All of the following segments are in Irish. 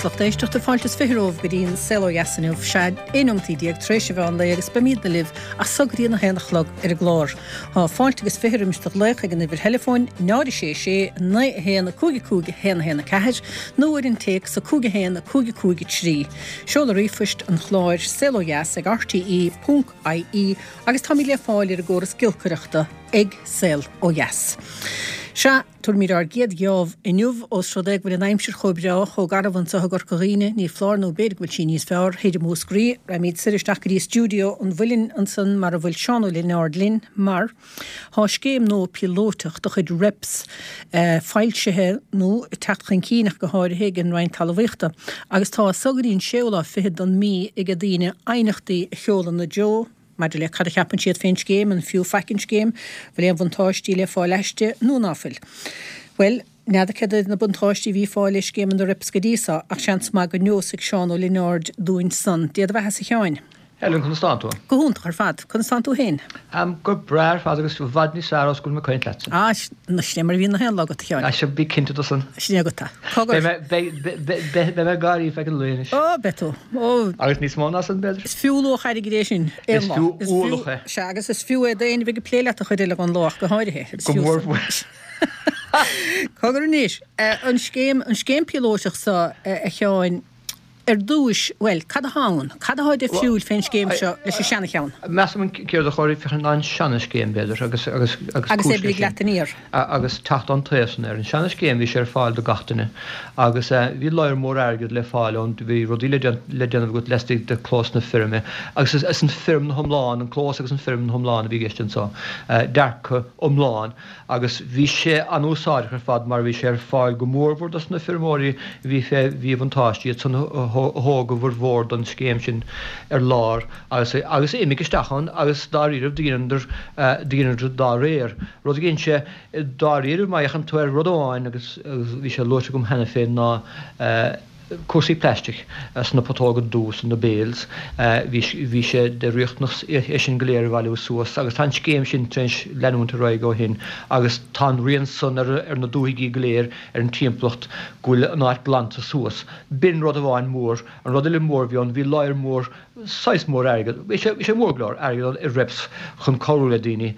lucht éisteachta, fáilte is 20 romhaibh go dtí an Saol Ó Dheas inniu, sea, 11 neomataí tar éis an mheán lae agus beimídne libh as so go dtí an 1 a chlog ar an gclár. Tá fáilte agus 20 roimis do ghlaoch ag an uimhir theileafóin 0 6 6 9 1 5 5 1 1 4 nó ar an téacs 5 1 5 5 3. Seoladh ríomhphoist an chláir, saolodheas ag rte ponc ie agus táimid le fáil ar an gcóras giolcaireachta ag Saol Ó Dheas. Sea. Tabharfaimid ár gcéad gheábh inniu, ós rud é go bhfuil an aimsir chomh breá, chomh garbh anseo i gCorca Dhuibhne, ní foláir nó b'fhéidir go bhfuil sí níos fearr thoir i Múscraí. Raghaimid soir isteach go dtí stiúideo an Mhuilinn ansan mar a bhfuil Seán Ó Lionáird linn, mar thá scéim nua píolótach de chuid Reps foilsithe, nó ag teacht chun cinn ach go háirithe, ag an Roinn Talmhaíochta, agus tá as so go dtí an séú lá fichead don mí aige daoine aighneachtaí a sheoladh ina dtreo. Maidir le cad a cheapann siad fén scéim, an fiú faic an scéim, bhfuil aon bhuntáistí le fáil aisti nó ná fuil? Bhuel, n'fheadar céard iad na buntáistí a bhí fáil le scéimeanna Reps go dtí so, ach seans maith go neosfaidh Seán Ó Lionáird dúinn san. Dé do bheathasa a Sheáin. Helen, conas tánn tú? Go hiontach ar fad. Conas tánn tú féin? Táim go breá ar fad agus i bhfad níos fearr ós go bhfuil mé ag caint leatsa. Ah, sin é mar a bhíonn na haon lá agat, a Sheáin. Ah, sea, bí cinnte de san. Sin é agat é. Cogar. Beidh mé, beidh, beidh mé ag gáirí feadh an lae anois. Ó, beidh tú. Ó. Agus níos mó ná san, b'fhéidir. Is fiú luach airgid é sin, aon lá. Is fiú ualach é. Sea, agus is fiú é d'éinne a bheidh ag plé leat an chuid eile den lá ach go háirithe. Is Go fiú mór san. mhór. Cogar anois, an scéim, an scéim píolótach seo, a Sheáin, ar dtúis, bhuel, cad atá ann? Cad atá difriúil fén scéim seo leis an seana-cheann? Measaim an céard a chóir féachaint ná an seana-scéim, b'fhéidir, agus, agus, agus Agus cúis leis oibrigh sin. leat aniar. Agus teacht ón taobh san ar an seana-scéim bhí sé ar fáil do gach duine agus bhí lear mór airgead le fáil ann, bhí rudaí le le déanamh agat laistigh de clós na feirme agus is is an feirm na hiomlán, an clós agus an feirm na hiomlán a bhí i gceist anso, dearcadh iomlán agus bhí sé an-úsáideach ar fad mar bhí sé ar fáil go mórmhór dos na feirmeoirí a bhí fé mhíbhuntáiste, iad san a thóg a bhformhór don scéim sin ar lár agus agus a imigh isteach ann agus dáiríribh do dheineadar do dheineadar dá réir. Rud a dhein sé dáiríribh má fhéachann tú ar rud amháin agus bhí sé luaite agam cheana féin ná cúrsaí plaistic sna putóga dubha san, na bales, bhí bhí sé de riachtanas é sin go léir a bhailiú suas agus tá an scéim sin tar éis leanúint ar aghaidh ó shin agus tá an rian san ar ar na dúthaigí go léir ar an timpeallacht go bhfuil an áit glanta suas. B'in rud amháin mór. An rud eile mór a bhí ann bhí lear mór saghas mór airgead, bhí sé, bhí sé mór go leor airgead ann i reps chun cabhrú le daoine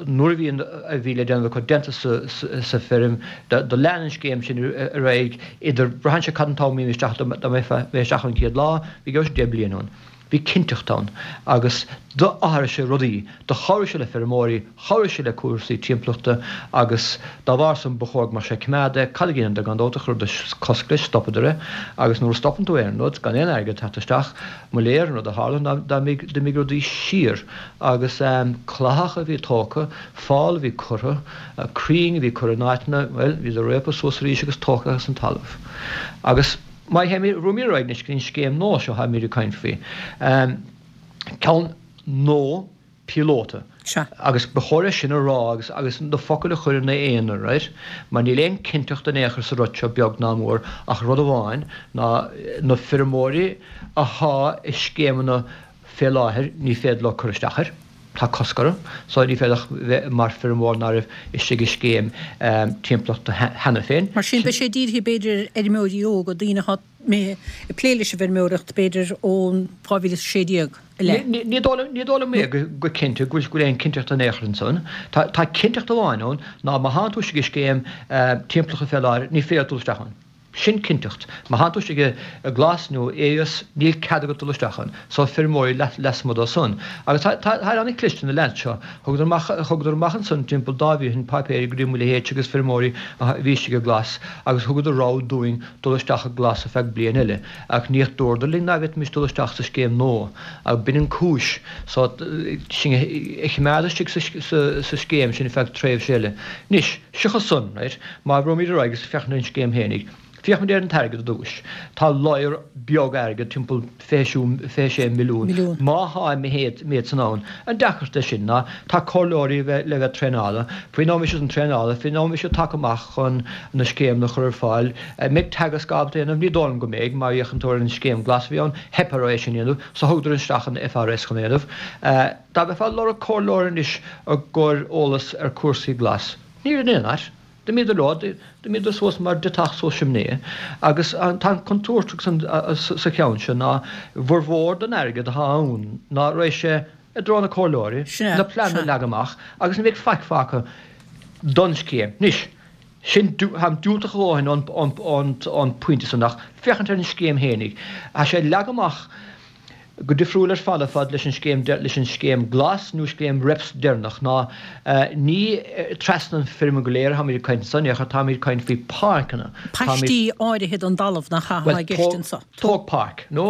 nuair a bhí an, a bhí le déanamh acu déanta sa, sa feirm, do, do lean an scéim sin ar aghaidh idir, braitheann sé cad an t-am a bhí isteach, dá mbeifeá isteach an chéad lá, bhí go raibh sé 10 bliain ann. Bhí cinnteacht ann agus d'athraigh sé rudaí, do chabhraigh sé le feirmeoirí, Chabhraigh sé le cúrsaí timpeallachta agus dá bharr san ba chóir go mbeadh sé coimeádta. Cad a dheineadar gan dabht chuireadar cosc leis, stopadar é agus nuair a stopann tú aon rud gan aon airgead teacht isteach, mo léir, an rud a tharla ná d'imigh rudaí siar agus cladach a bhí tógtha, fál a bhí curtha, crainn a bhí curtha in áiteanna, bhuel, bhíodar réabtha suas arís agus tógtha as an talamh. Agus má théimid, rachaimid ar aghaidh anois go dtí an scéim nua seo atáimid ag caint faoi. Ceann nua. píolóta. Sea. Agus ba chóir é sin a rá agus agus na focail a chur ina aonar, right? Mar níl aon cinnteacht in aon chor sa rud seo beag ná mór ach rud amháin ná na feirmeoirí athá i scéimeanna fé láthair ní féidir leo cur isteach air. Tá cosc orthu. So ní féidir ach bheith mar feirmeoir ná raibh istigh i scéim timpeallachta cheana féin. Mar sin beidh sé dírithe b'fhéidir ar fheirmeoirí óga, daoine athá ag plé leis an bhfeirmeoireacht b'fhéidir ón 2016 i leith. Ní dóigh liom é go cinnte go bhfuil aon cinnteacht in aon chor ansan. Tá cinnteacht amháin ann ná má thánn tú istigh i scéim timpeallachta fé láthair ní féidir dul isteach ann. Sin cinnteacht. Má thánn tú istigh i Glas nó Aonghas níl cead agat dul isteach ann. So feirmeoirí lasmuigh dó san. Agus tá tá an-chliste na leaids seo. Thugadar amach thugadar amach ansan timpeall dá mhí ó shin páipéirí go dtí mo leithéidse agus feirmeoirí a bhí istigh i Glas agus thugadar rogha dúinn dul isteach i Glas ar feadh bliain eile, ach níor dúradar linn ná bhféadfaimis dul isteach sa scéim nua, ach b'in an cúis, so, sinn a choimeád istigh sa scéim sin ar feadh tréimhse eile. Anois, seachas san, right, má bhreathnaímid ar aghaidh agus féachaint ar an scéim fhéinig, féachfaimid ar an t-airgead ar dtúis. Tá lear beag airgid, timpeall 26 milliún, má thá an méid san ann. An deacracht leis sin ná tá comhairleoirí le bheith traenáilte, faoin am a bheidh siad traenáilte, faoin am a bheidh siad tagtha amach chun na scéimeanna a chur ar fáil, an mbeidh Teagasc ábalta é a dhéanamh? Ní dóigh liom go mbeidh, má fhéachann tú ar an scéim glas a bhí ann, theip orthu é sin a dhéanamh, so thugadar isteach an FRS chun é a dhéanamh. Dá mbeifeá ag lorg comhairleoir anois i gcomhair eolas ar cúrsaí glas, níl in aon áit. D'imíodar leo, d'imíodar suas mar deatach suas simné agus tá an contúirt sa cheann seo ná bhformhór den airgead atá ann ná raghaidh sé i dtreo na comhairleoirí, na pleananna a leagadh amach agus ní bheidh faic fágtha don scéim. Anois, sin, táim diúltach a dhóthain ón bpointe san ach féachaint ar an scéim fhéinig, tá sé leagtha amach go difriúil ar fad ar fad leis an scéim leis an scéim glas nó scéim reps deireanach ná ní trasna an feirme go léir atáimid ag caint anso in aon chor táimid ag caint faoi páirceanna Paistí áirithe den dtalamh nach ea atá i gceist anso. Tóg páirc nó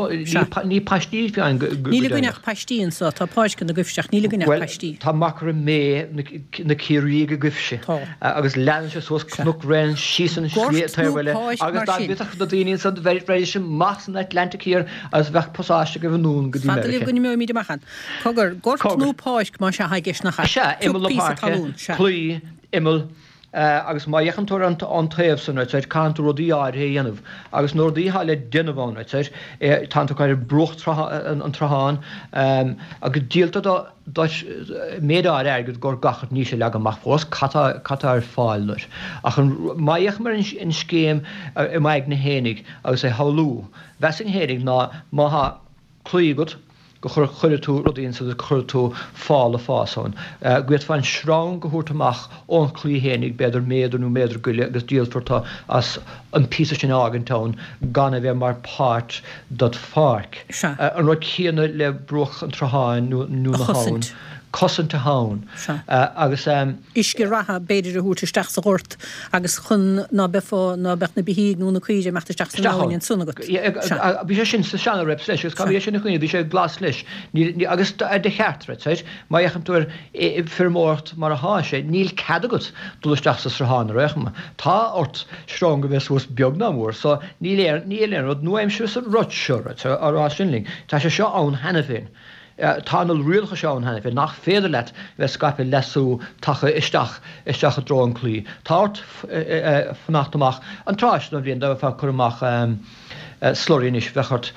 ní paistí fiáin go deimhneach. Níl againn ach paistí anso, tá páirceanna agaibhse ach níl againn ach Bhuel paistí. tá machaire méith na Ciarraígh agaibhse agus leanann sé suas Cnoc Bhréanainn síos an Gort slí nó taobh eile páirc agus mar dá sin. bhféadfadh na daoine ansan bheiridís amach san Atlantic Thiar Agus bheadh pasáiste agaibh anonn go dtí Fada libh Meiriceá. go n-imeoimid amach ann. Cogar, gort Cogar. nó páirc más ea atá i gceist nach ea? Sea, Pioc imeall na píosa páirce, talún, sea. claí, imeall, agus má fhéachann tú ar an taobh san, right, caitheann tú rudaí áirithe a dhéanamh. Agus na rudaí atá le déanamh ann, right, tánn tú ag cur ar bruach an tsrutháin, agus díoltar do duit méid áirithe airgid gor gach rud, níl sé leagtha amach fós cad tá, cad tá ar fáil duit. Ach an, má fhéachaim ar an scéim i m'aigne fhéinig agus é shamhlú, Mheasfainn fhéinig ná má thá claí agat go chuirfidh tú rudaí ansan agus go chuirfidh tú fál ag fás ann. Go bhféadfá an sreang a thabhairt amach ón chlaí fhéinig b'fhéidir méadar nó méadar go leith agus díolfar tú as an píosa sin a fhágaint ann gan a bheith mar páirt dod pháirc. Sea. An rud céanna le bruach an tsrutháin nó A na habhann. chosaint. Cosaint a habhann. Sea. Agus. Uisce reatha b'fhéidir a thabhairt isteach sa ghort agus chun ná beifeá, ná beadh na beithígh nó na caoirigh ag imeacht isteach san abhainn ansan agat. Sea. Bhí sé sin sa seana-reps leis agus caithfidh é sin a choinneáil, bhí sé glas leis. Níl, agus de cheart, right, má fhéachann tú ar feirmeoireacht mar athá sé, níl cead agat dul isteach sa sruthán ar aon chuma. Tá ort sreang a bheith suas beag ná mór, so níl aon, níl aon rud nua-aimseartha sa rud seo, right, á rá sin linn. Tá sé seo ann cheana féin. Tá na rialacha seo ann cheana féin nach féidir leat bheith ag scaipeadh leasú taca isteach isteach i dtreo an claí. Tá ort fanacht amach an tráth seo den bhliain dá mbeifeá ag cur amach slurry anois bheadh ort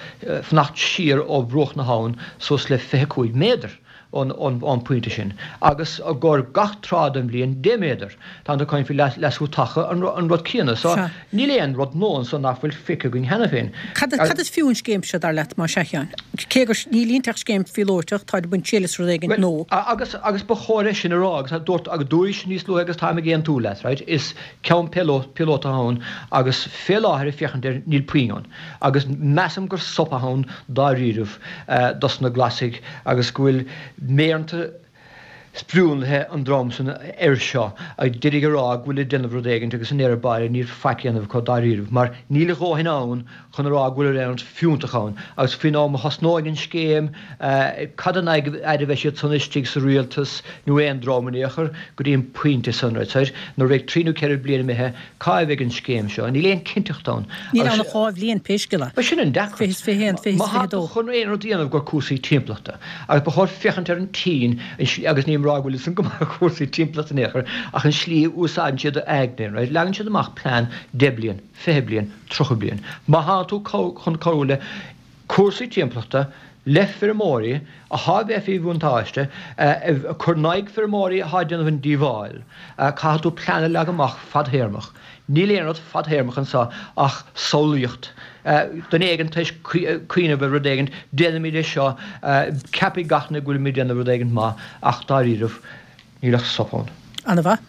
fanacht siar ó bhruach na habhann suas le 25 méadar ón ón pointe sin agus i gcomhair gach tráth den bhliain 10 méadar. Tá tú ag caint faoi leasú taca an rud céanna. So níl aon rud nua anso nach bhfuil feicthe againn cheana féin. Cad is fiú an scéim seo, dar leat, más ea, a Sheáin? Cé gur, níl inti ach scéim phíolótach, táid ag baint triail as rud éigin, nó. Agus, agus ba chóir é sin a rá, agus dúirt, agus dúraís níos luaithe agus táim ag aontú leat, right, is ceann píolótach ann agus fé láthair ag féachaint air níl puinn ann. Agus measaim gur sop atá ann dáiríribh dos na Glasaigh agus go bhfuil méireanta, Sprionlaithe an dream san air seo ag d'iarraidh a rá go bhfuil ag déanamh rud éigint agus i ndeireadh báire níl faic a dhéanamh acu dáiríribh mar níl a dhóthain ann chun a rá go bhfuil aon rud fiúntach ann agus faoin am a thosnóidh an scéim cad ina fhaid a bheidh siad san istigh sa rialtas nó aon dream in aon chor go dtí an pointe san right nuair a bheidh trí nó ceithre bliana imithe Cá bheidh an scéim seo? Níl aon cinnteacht ann. Níl ann ach 2 bhliain, pé scéal é. Bhuel, sin an deacracht. 20 is 21, 20 is Má tá 22. tú chun aon rud a dhéanamh i gcomhair cúrsaí timpeallachta, agus ba chóir féachaint ar an tSín, agus nílim ag rá go bhfuil san go maith ar chúrsaí timpeallachta in aon chor, ach an slí a úsáideann siad aigne, right, leagann siad amach plean 10 bliain, 20 bliain, 30 bliain. Má tá tú chun cabhrú le cúrsaí timpeallachta, le feirmeoirí athá a bheith faoi bhuntáiste, ag cur in aghaidh feirmeoirí athá ag déanamh an díobháil. Caithfidh tú plean a leagadh amach fadthéarmach. Níl aon rud fadthéarmach anseo ach samhlaíocht. Duine éigin tar éis cuimhneamh ar rud éigin, déanfaimid é seo, ceapfaidh gach duine go bhfuilimid ag déanamh rud éigin maith, ach dáiríribh, Níl ach sop ann. Ana-mhaith.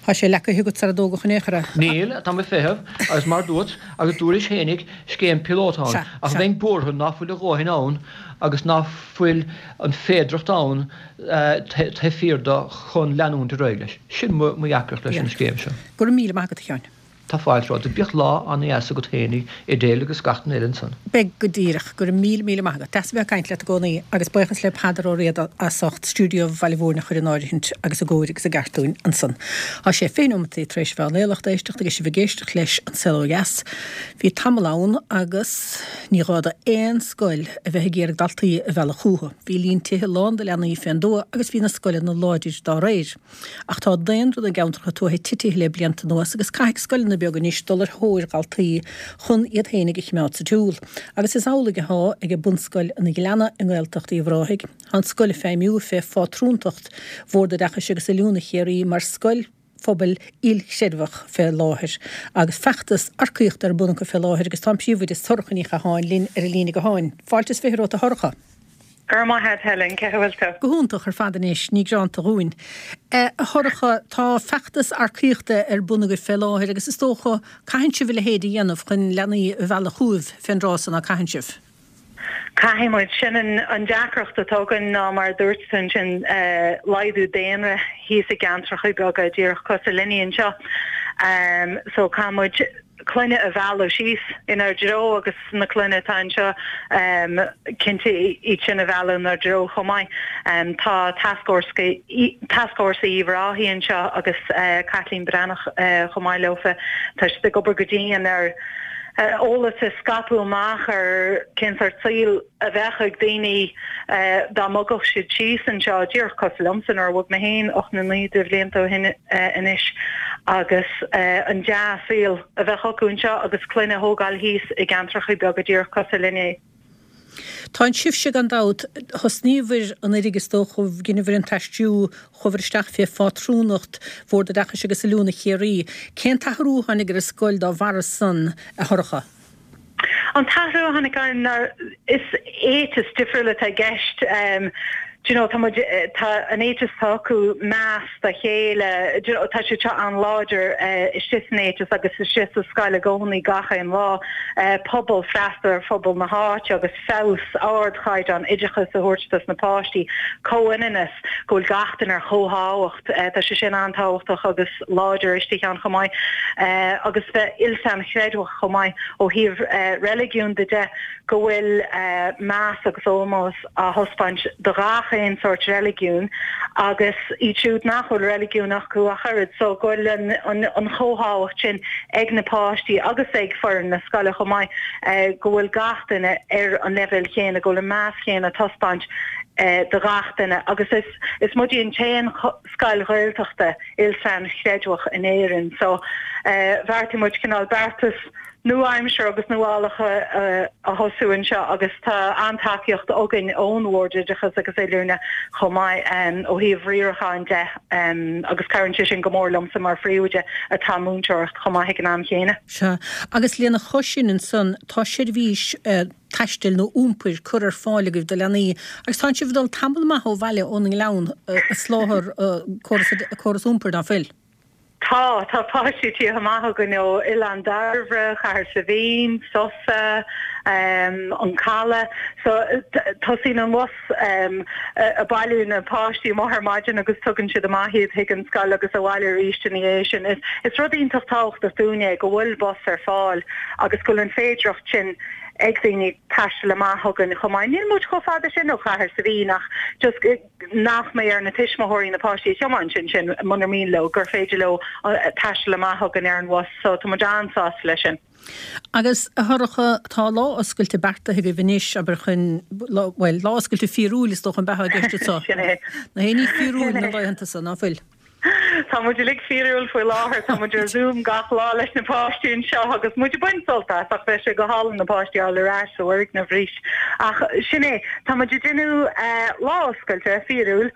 Tá sé leacaithe agat sara dtógadh in aon chor é. Níl, tá mé ag feitheamh, agus mar dúirt, agus dúraís fhéinig, scéim píolóta ann, Sea, ach sea. bheinn buartha ná fuil a dhóthain ann agus ná fuil an féidireacht ann taobh thiar de chun leanúint ar aghaidh leis. Sin mo dheacracht leis an scéim seo. Go raibh míle maith agat, a Sheáin. Tá fáilte romhat. Bíodh lá ana-dheas agat fhéinig, Edel agus gach duine eile ansan. Beidh go díreach. Go raibh míle míle maith agat. Deas a bheith ag caint leat i gcónaí agus buíochas le Peadar Ó Riada as ucht stiúideo Bhaile Mhúirne a chur in áirithint agus i gcóir agus i gceart dúinn ansan. Tá sé 20 nóimeataí tar éis mheán lae, lucht éisteachta agus sibh ag éisteacht leis An Saol Ó Dheas. Bhí tamall ann agus ní gá do aon scoil a bheith ag iarraidh daltaí a mhealladh chúthu. Bhí líon tithe lán de leanaí fén dtuath agus bhí na scoileanna láidir dá réir. Ach tá daonra na gceantracha tuaithe titithe le blianta anuas agus caithfidh scoileanna beaga anois dul ar thóir dhaltaí chun iad fhéinig a chimeád sa tsiúl. Agus is amhlaidh athá age Bunscoil an Ghleanna i nGaeltacht Uíbh Ráthaigh. Tá an scoil ag feidhmiú fé phátrúntacht Bhord Oideachais agus Oiliúna Chiarraí mar scoil. Phobail Ilchreidmheach fé láthair agus feachtas earcaíochta ar bun acu fé láthair agus tá an Príomhoide Sorcha Ní Chatháin linn ar an líne gutháin. Fáilte is 20 romhat a Shorcha. Go raibh maith agat Helen, cén chaoi a bhfuil tú? Go hiontach ar fad anois, ní gearánta dhúinn. A Shorcha, tá feachtas earcaíochta ar bun agaibh fé láthair agus is dócha, caitheann sibh a leithéid a dhéanamh chun leanaí a mhealladh chugaibh fén dtráth so, ná caitheann sibh? Caithfidh muid. Sin an deacracht atá againn ná mar a dúirt tú ansin, laghdú daonra thíos i gceantracha beaga díreach cosúil linne anseo. So caithfidh muid clainne a mhealladh síos inár dtreo agus na clainne atá anseo cinnte iad sin a mhealladh inár dtreo chomh maith. Tá Tascfhórsa Uíbh Ráthaigh anseo agus Caitlín Breathnach chomh maith leofa. Tá siad ag obair go dian ar eolas a scaipeadh amach ar cén sórt saoil a bheadh ag daoine dá mbogfadh siad síos anseo, díreach cosúil liomsa nuair a bhog mé féin 8 nó 9 de bhlianta ó shin anois, agus an dea-saol a bheadh acu anseo agus clainne a thógáil thíos i gceantracha beaga díreach cosúil linne. Tá sibhse gan dabht, thosnaíobhair anuraidh is dócha, dheineabhair an t-aistriú, chuabhair isteach fé phátrúnacht Bhord Oideachais agus Oiliúna Chiarraí. Cén t-athrú a tháinig ar an scoil dá bharra san, a Shorcha? An t-athrú a tháinig ann ná is éiteas difriúil atá i gceist. Do you know, tá muid, tá an éiteas atá acu, meas dá chéile, do you know, tá sé seo an-láidir istigh san éiteas agus istigh sa scoil i gcónaí gach aon lá. Pobal, freastal ar phobal na háite agus feabhas, ardchaighdeán oideachais a thabhairt dos na páistí, comhionannas, go bhfuil gach duine ar chomhthábhacht, tá sé sin an-tábhachtach agus láidir istigh ann chomh maith. Agus bheith ilsainchreidmheach chomh maith ó thaobh reiligiún de de, go bhfuil meas agus ómós á thaispeáint do ghach aon sórt reiligiún agus iad siúd nach bhfuil reiligiún acu ach oiread, so go bhfuil an chomhthábhacht sin ag na páistí agus ag foireann na scoile chomh maith, go bhfuil gach duine ar an leibhéal chéanna, go bhfuil an meas chéanna á taispeáint do ghach duine agus is is muide an t-aon scoil Ghaeltachta ilsainchreidmheach in Éirinn so bheartaigh muid cineál beartas nua-aimseartha agus nuálach a thosú anseo agus tá an-tacaíocht againn ón Bhord Oideachais agus Oiliúna chomh maith ó thaobh riaracháin de agus cabhraíonn sé sin go mór liomsa mar phríomhoide atá ag múinteoireacht chomh maith ag an am chéanna. Sea, agus lena chois sin ansan tá seirbhís taistil nó iompair curtha ar fáil agaibh do leanaí agus tánn sibh ag dul tamall maith ó bhaile ón nGleann ag soláthar córas iompair, ná fuil? Tá, tá páistí ag tíocht amach chugainn ó Oileán Dairbhre, Cathair Saidhbhín, Sosa, an Caladh. So tosaíonn an bhus ag bailiú na páistí amuigh ar maidin agus tugann siad amach iad chuig an scoil agus abhaile arís ina dhiaidh sin. Is rud iontach tábhachtach dúinn é go bhfuil bus ar fáil agus go bhfuil an féidireacht sin ag daoine taisteal amach chugainn chomh maith. Níl muid chomh fada sin ó Chathair Saidhbhín ach just nach mbeidh ar na tuismitheoirí na páistí a thiomáint ansin munar mian leo, gur féidir leo taisteal amach chugainn ar an bhus so tá muid an-sásta leis sin. Agus, a Shorcha, tá lá oscailte beartaithe agaibh anois, abair, chun, bhuel, lá oscailte fíorúil is dócha an b'ea atá i gceist anseo. Sin é. Gach éinne fíorúil na laethanta so, ná fuil? Tá muid uilig fíorúil faoi láthair, tá muid ar Zoom gach lá leis na páistí anseo agus muid ag baint sult as ach bheadh sé go hálainn na páistí a fháil ar ais sa bhfoirgneamh arís. Ach sin é, tá muid ag déanamh lá oscailte fíorúil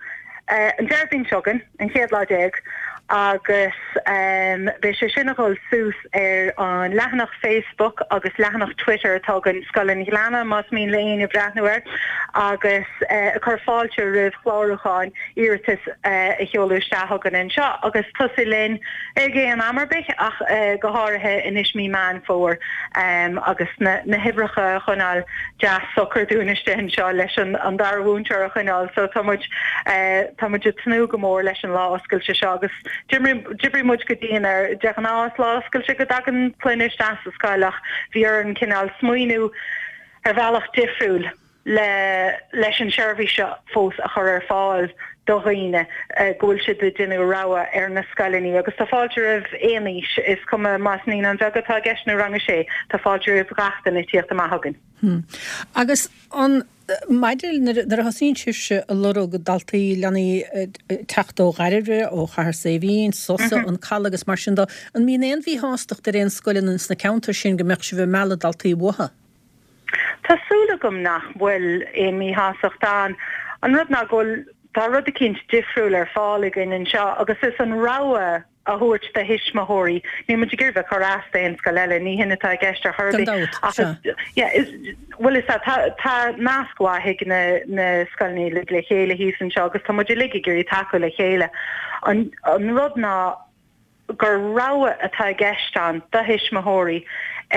an Déardaoin seo chugainn, an chéad lá déag, agus beidh sé sin a dhul suas ar an leathanach Facebook agus leathanach Twitter atá againn, Scoil an Ghleanna, más mian le éinne breathnú air, agus ag cur fáilte roimh chlárúcháin, iarratais a sheoladh isteach chugainn anseo agus tosú linn ag aon am ar bith ach go háirithe anois mí Meán Fómhair agus na huimhreacha a choinneáil deas socair dúinn istigh anseo leis an dara mhúinteoir a choinneáil so tá muid tá muid ag tnúth go mór leis an lá oscailte seo agus D'oibrigh muid go dian air. De ghnáth is lá oscailte go dtagann clainne isteach sa scoil ach bhí orainn cineál smaoineamh ar bhealach difriúil le leis an seirbhís seo fós a chur ar fáil do dhaoine go bhfuil siad ag déanamh rogha ar na scoileanna agus tá fáilte roimh aon aois, is cuma más naíonáin bheaga atá i gceist nó rang a sé, tá fáilte roimh gach duine tíocht amach chugainn. Agus an Maidir nuair a thosaíonn sibhse ag lorg daltaí, leanaí teacht ó Dhairbhre, ó Chathair Saidhbhín, Sosa, an Caladh agus mar sin de, an mbíonn aon mhíshástacht ar aon scoileanna sna ceantair sin go mbeadh sibh ag mealladh daltaí uathu? Tá súil agam nach bhfuil aon mhíshástacht ann. An rud ná go bhfuil, tá rud eicínt difriúil ar fáil againn anseo agus is an rogha. a thabhairt do thuismitheoirí. Níl muid ag iarraidh bheith ag cur as d'aon scoil eile, ní hin atá i gceist ar chor ar Gan bith. dabht, Ach sea. is, yeah, is, bhuel is ea, tá, tá nasc mhaith ag na, na scoileanna uilig le chéile thíos anseo agus tá muid uilig ag iarraidh tacú le chéile. An, an rud ná gur rogha atá i gceist ann do thuismitheoirí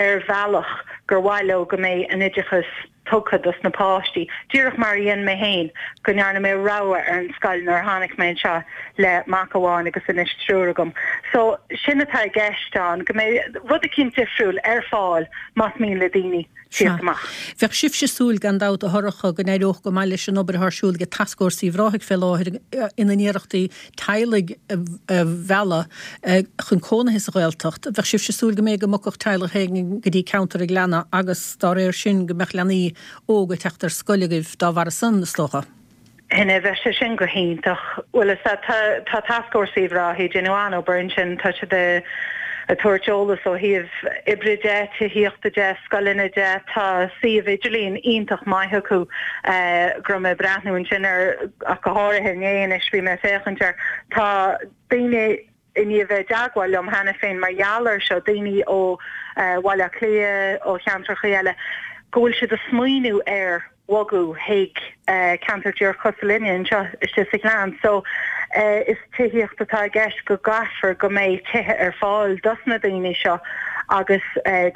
ar bhealach gur mhaith leo go mbeidh an oideachas tugtha dos na páistí, díreach mar a dhein mé féin, go ndearna mé rogha ar an scoil nuair a tháinig mé anseo le mac amháin agus anois triúr agam. So, sin atá i gceist ann, go mbeidh rud eicínt difriúil ar fáil más mian le daoine Sea. tíocht amach. Bheadh sibhse ag súil, gan dabht, a Shorcha, go n-éireodh go maith leis an obair atá ar siúl ag Tascfhórsa Uíbh Ráthaigh fé láthair ina n-iarrachtaí teaghlaigh a mhealladh chun cónaithe sa Ghaeltacht. Bheadh sibhse ag súil go mb'fhéidir go mbogfadh teaghlach éigin go dtí ceantar an Ghleanna agus dá réir sin go mbeadh leanaí óga ag teacht ar scoil agaibh dá bharra san, is dócha. Sin é, bheadh sé sin go hiontach. Bhuel, is ea, tá, tá Tascfhórsa Uíbh Ráthaigh ag déanamh an-obair ansin, tá siad ag tabhairt eolas ó thaobh oibre de, tithíochta de, scoileanna de, tá suíomh idirlín iontach maith acu go raibh mé ag breathnú ansin air ach go háirithe inné anois, bhí mé ag féachaint air. Tá daoine i ndiaidh bheith i dteagmháil liom cheana féin mar gheall air seo, daoine ó Bhaile Átha Cliath, ó cheantracha eile, go bhfuil siad ag smaoineamh ar bhogadh chuig ceantar díreach cosúil linne anseo istigh sa Ghleann. So, is tithíocht atá i gceist, go gcaithfear go mbeidh tithe ar fáil dos na daoine seo agus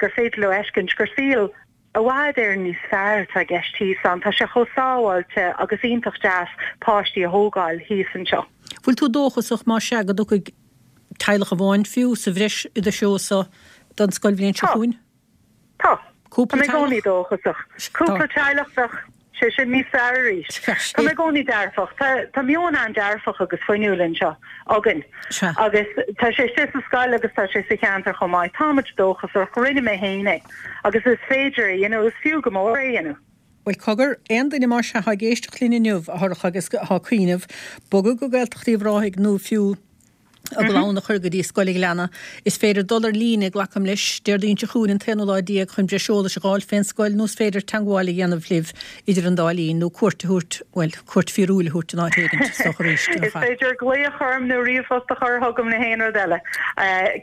gur féidir leo fheiscint gur saol i bhfad Éireann níos fearr atá i gceist thíos ann. Tá sé chomh sábháilte agus iontach deas páistí a thógáil thíos anseo. Bhfuil tú dóchasach, más ea, go dtiocfaidh teaghlach amháin fiú sa bhreis i do threo so don scoilbhliain seo Tá. chugainn? Tá. Tá Cúpla mé i gcónaí teaghlach? dóchasach. Tá. Cúpla teaghlach bheadh sé sin níos fearr arís. Tá mé i gcónaí dearfach. Tá, tá meon an-dearfach agus fuinniúil anseo againn. Sea. Agus tá sé istigh sa scoil agus tá sé sa cheantar chomh maith. Táimid dóchasach. Rinne mé féin é. Agus is féidir é a dhéanamh. Is fiú go mór é a dhéanamh. Bhuel, cogar, aon duine más ea atá ag éisteacht linn inniu, a Shorcha, agus atá ag cuimhneamh bogadh go Gaeltacht Uíbh Ráthaigh nó fiú a gclann a chur go dtí Scoil an Ghleanna. Is féidir dul ar líne, glacaim leis, Déardaoin seo chugainn an t-aonú lá déag chun breis eolais a dh'fháil fén scoil nó is féidir teangmháil a dhéanamh libh idir an dá linn nó cuairt a thabhairt, bhuel, cuairt fíorúil a thabhairt in áit éigint, is dócha arís, Is féidir glaoch orm nó ríomhphost a chur chugam nó haon rud eile,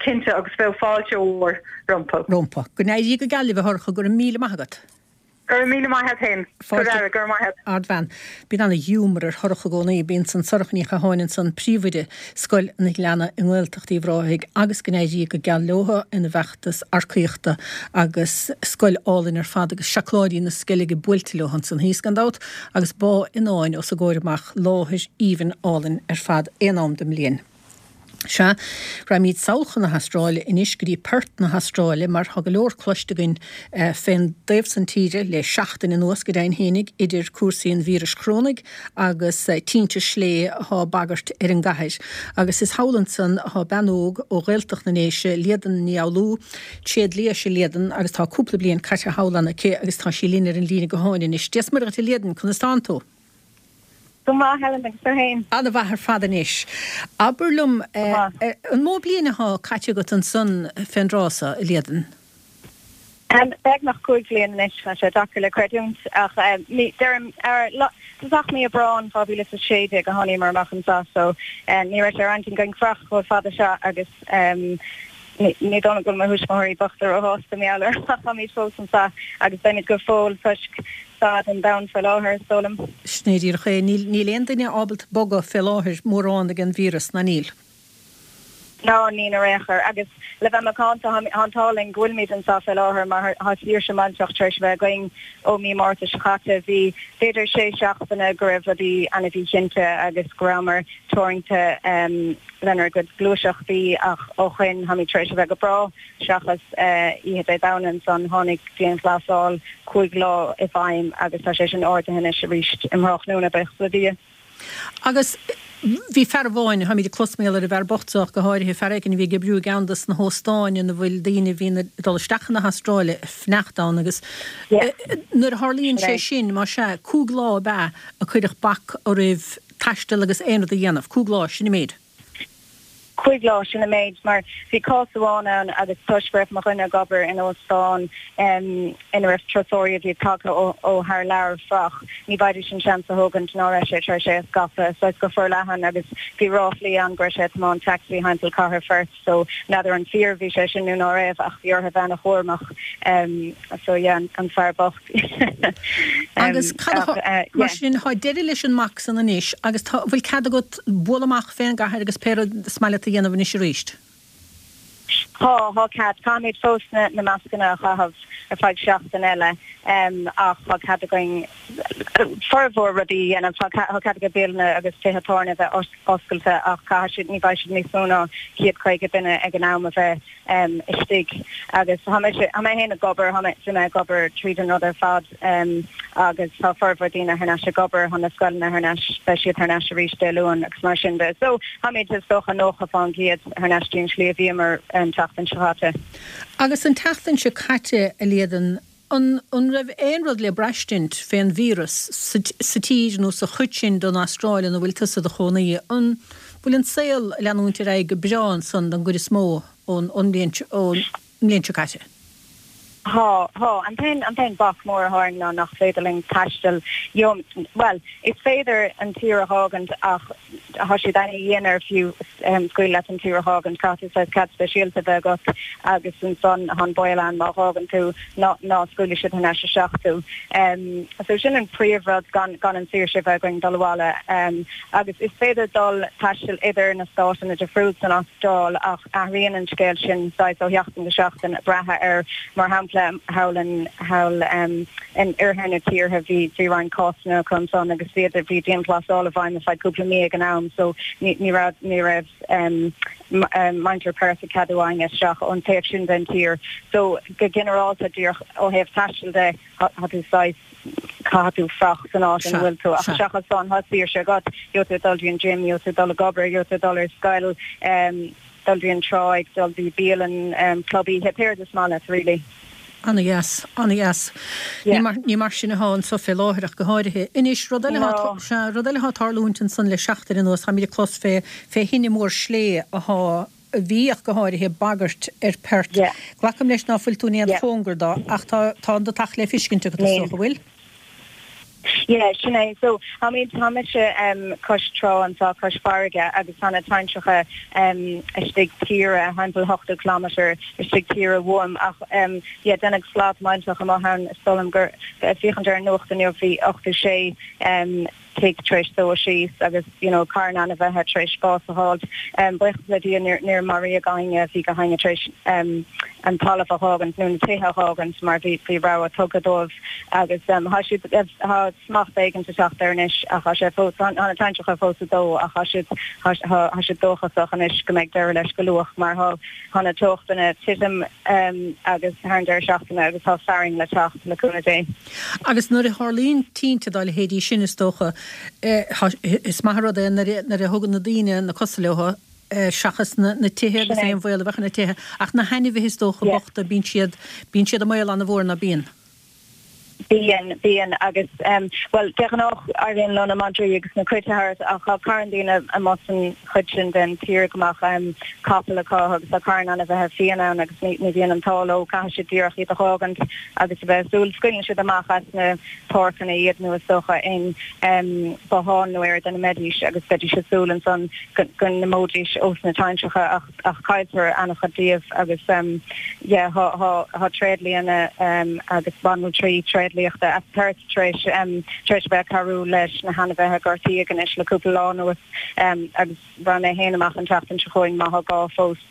cinnte, agus bheadh fáilte mhór rompu. Rompu. Go n-éirí go geal libh, a Shorcha, go raibh míle maith agat. Go raibh míle maith a't fhéin. Go raibh, go raibh maith a't. Ardbhean. Bíonn ana-ghiúmar ar Shorcha i gcónaí. Bíonn san Sorcha Ní Chatháin ansan, príomhoide Scoil an Ghleanna i nGaeltacht Uíbh Ráthaigh agus go n-éirí go geal leotha ina bhfeachtas earcaíochta agus scoil álainn ar fad agus seacláidí na Sceilge buailte leo ansan thíos gan dabht agus bá i ndán os a gcomhair amach, láthair aoibhinn álainn ar fad aon am den mbliain. Sea, raghaimid sall chun na hAstráile anois, go dtí Perth na hAstráile, mar tá go leor cloiste againn fén dtaobh san tíre le seachtain anuas, go deimhin fhéinig, idir cúrsaí an víris chorónaigh agus tinte slé athá ag bagairt ar an gcathair. Agus is thall ansan athá bean óg ó Ghaeltacht na nDéise, Líadan Ní Fhoghlú, tréadlia is ea Líadan agus tá cúpla bliain caite thall ann aici agus tá sí linn ar an líne gutháin anois. Dia 's Muire dhuit a Líadan, conas tánn tú? Go maith, Helen, agus tú fhéin? Ana-mhaith ar fad anois. Abair liom, an mó bliain athá caite agat ansan fén dtráth so, a Líadan? Beagnach 5 bhliain anois, tá sé deacair le creidiúint, ach deirim, tosach mí Aibreán 2016 a tháiníomar amach anseo, so ní raibh sé ar intinn againn fanacht chomh fada seo agus ní dóigh liom go bhfuil mo thuismitheoirí bochta róshásta mar gheall air ach táimid fós anseo agus beimid go fóill toisc staid an domhain faoi láthair, is dóigh liom. Sin é díreach é. Níl, níl aon duine ábalta bogadh fé láthair mórán ag an víreas, ná níl? Ná níl ar aon chor. Agus le bheith macánta, tá an t-ádh linn go bhfuilimid anseo fé láthair mar tá saoirse millteach tar éis a bheith againn ó mí Márta seo caite. Bhí b'fhéidir sé seachtaine go raibh rudaí an-mhíchinnte agus go rabhamar teoranta lenár gcuid gluaiseachtaí ach ó shoin táimid tar éis a bheith go breá. Seachas oíche Dé Domhnaigh ansan tháinig dianghlasáil 5 lá i bhfeidhm agus tá sé sin ardaithe anois arís um thráthnóna, buíochas le Dia. Agus bhí fear amháin, táimid ag clos mar gheall ar an bhfear bocht so ach go háirithe, fear éigin a bhí ag oibriú i gceann dos na hóstáin ina bhfuil daoine a bhíonn ag dul isteach chun na hAstráile ag fanacht ann agus nuair a tharlaíonn sé sin, más ea, 5 lá ab ea a cuireadh bac oraibh taisteal agus aon rud a dhéanamh, 5 lá, sin an méid. Chúig lá, sin an méid, mar bhí cás amháin ann agus toisc go raibh mo dhuine ag obair in óstán ina raibh turasóirí a bhí tagtha ó thar lear frach, ní bhfaighidís an seans a thógaint ná raibh sé tar éis é a scaipeadh saghas go forleathan agus bhí ráflaí ann go raibh sé ag tiomáint taxi thimpeall cathair Pherth so n'fheadar an fíor a bhí sé sin nó ná raibh ach bhí orthu bheith ana-chúramach so yeah an fear bocht. Agus cad a tha, mar sin, thá deireadh leis an mbac san anois agus tá, bhfuil cead agat bualadh amach fén gcathair agus pé rud is maith leat a dhéanamh anois aríst? Tá, thá cead. Caithfimid fós na, na mascanna a chaitheamh ar feadh seachtain eile ach thá cead againn formhór rudaí a dhéanamh. Thá, thá cead ag bialanna agus tithe tábhairne a bheith oscailte ach caithfidh siad, ní bheidh siad níos mó ná 150 duine ag an am a bheith istigh agus tá mé tá mé féin ag obair, tá mé bhí mé ag obair tríd an rud ar fad agus tá formhór daoine thar n-ais ag obair, tá na scoileanna thar n-ais, beidh siad thar n-ais arís Dé Luain agus mar sin de. So táimid is dócha 90% thar n-ais dtí an tslí a bhíomar an tseachtain seo caite. Agus an tseachtain seo caite, a Líadan, An raibh aon rud le braistint fén víreas sa tír nó sa chuid sin den Astráil ina bhfuil tusa i do chónaí? An bhfuil an saol ag leanúint ar aghaidh go breá ansan don gcuid is mó ón mbliain seo caite? Thá, thá. An t-aon, an t-aon bac mór athá orainn ná nach féidir linn taisteal. Bhuel, is féidir an tír a dh'fhágaint ach Thá siad ana-dhian air fiú scaoileadh leat an tír a dh'fhágaint. Caithfidh tú saghas cead speisialta a bheith agat agus ansan thá an baol ann má dh'fhágann tú ná ná scaoilfidh siad thar n-ais isteach tú. So sin an príomh rud gan gan an saoirse a bheith againn dul abhaile. Agus is féidir dul taisteal idir na státanna difriúil san Astráil ach athraíonn an scéal sin saghas ó sheachtain go seachtain ag brath ar mar shampla thall in thall in oirthear na tíre bhí bhí roinnt cásanna acu ansan agus bhí bhí dianghlasáil i bhfeidhm ar feadh cúpla mí ag an am so ní ní raibh ní raibh muintir Perth ag ceadú éinne isteach ón taobh sin den tír so go ginearálta díreach ó thaobh taistil de thá tú saghas caithfidh tú fuireach san áit ina bhfuil tú ach seachas san thá saoirse agat gheobhaidh tú dul dtí an gym gheobhaidh tú dul ag obair gheobhaidh tú dul ar scoil dul dtí an tráigh dul dtí bialann club oíche pé rud is maith leat really. Ana-dheas, ana-dheas. Ní mar, ní mar sin athá anso fé láthair ach go háirithe. Anois, rud eile athá, No. sea, rud eile athá ag tarlúint ansan le seachtain anuas, táimid ag clos fé, fé thine mór slé athá, a bhí ach go háirithe, ag bagairt ar Perth. Yeah. Glacaim leis ná fuil tú in aon Yeah. chóngar do, ach tá, tá an deatach le fiscint agat is Níl. dócha, bhfuil? Yeah, sin é. So, táimid, tá mise cois trá anseo, cois farraige agus tá na tintreacha istigh tíre, thimpeall 80 kilometre istigh tíre uaim ach yeah, deineadh slad millteach amuigh ann, is dóigh liom gur, ag féachaint ar an nuacht inniu, bhí 86 tigh tar éis dó síos agus you know carn ainmhithe tar éis bás a fháilt. Buíochas le Dia níor, níor maraíodh éinne, bhí gach éinne tar éis an talamh a dh'fhágaint nó na tithe a dh'fhágaint mar bhí, bhí rabhadh tugtha dóibh. Agus thá siad, thá smacht éigint ag teacht air anois ach thá sé fós, thá na tintreacha fós ag dó ach thá siad, thá, thá siad dóchasach anois go mbeidh deireadh leis go luath mar thá, thá na teochtanna ag titim agus thar an deireadh seachtaine agus thá fearthainn le teacht, le cúnamh Dé. Agus nuair a tharlaíonn tinte dá leithéidí sin is dócha, thá, is maith an rud é nuair a, nuair a thugann na daoine na cosa leo, seachas na tithe agus Sin é. aon bhaol a bheadh ar na tithe, ach na hainmhithe is dócha Yeah. bochta, bíonn siad, bíonn siad i mbaol an-mhór, ná bíonn? Bíonn, bíonn agus em, bhuel, de ghnáth éiríonn leo na madraí agus na cait a thabhairt ach tá carn daoine amuigh san chuid sin den tír go mbeadh em, capall acu agus tá carn ainmhithe fiáin ann agus ní, ní bhíonn an t-ádh leo, caithfidh siad díreach iad a dh'fhágaint agus a bheith ag súil, scaoileann siad amach as na páirceanna iad nó is dócha in em, botháin nó áit ina mbeidís agus bheidís ag súil ansan go, go n-imeoidís ós na tintreacha ach ach cailltear an-chuid díobh agus yeah thá thá thá tréidlianna agus banaltraí tréidliachta as Perth tar éis tar éis a bheith ag cabhrú leis na hainmhithe a gortaíodh anois le cúpla lá anuas agus rachaidh mé féin amach an tseachtain seo chugainn má thá gá fós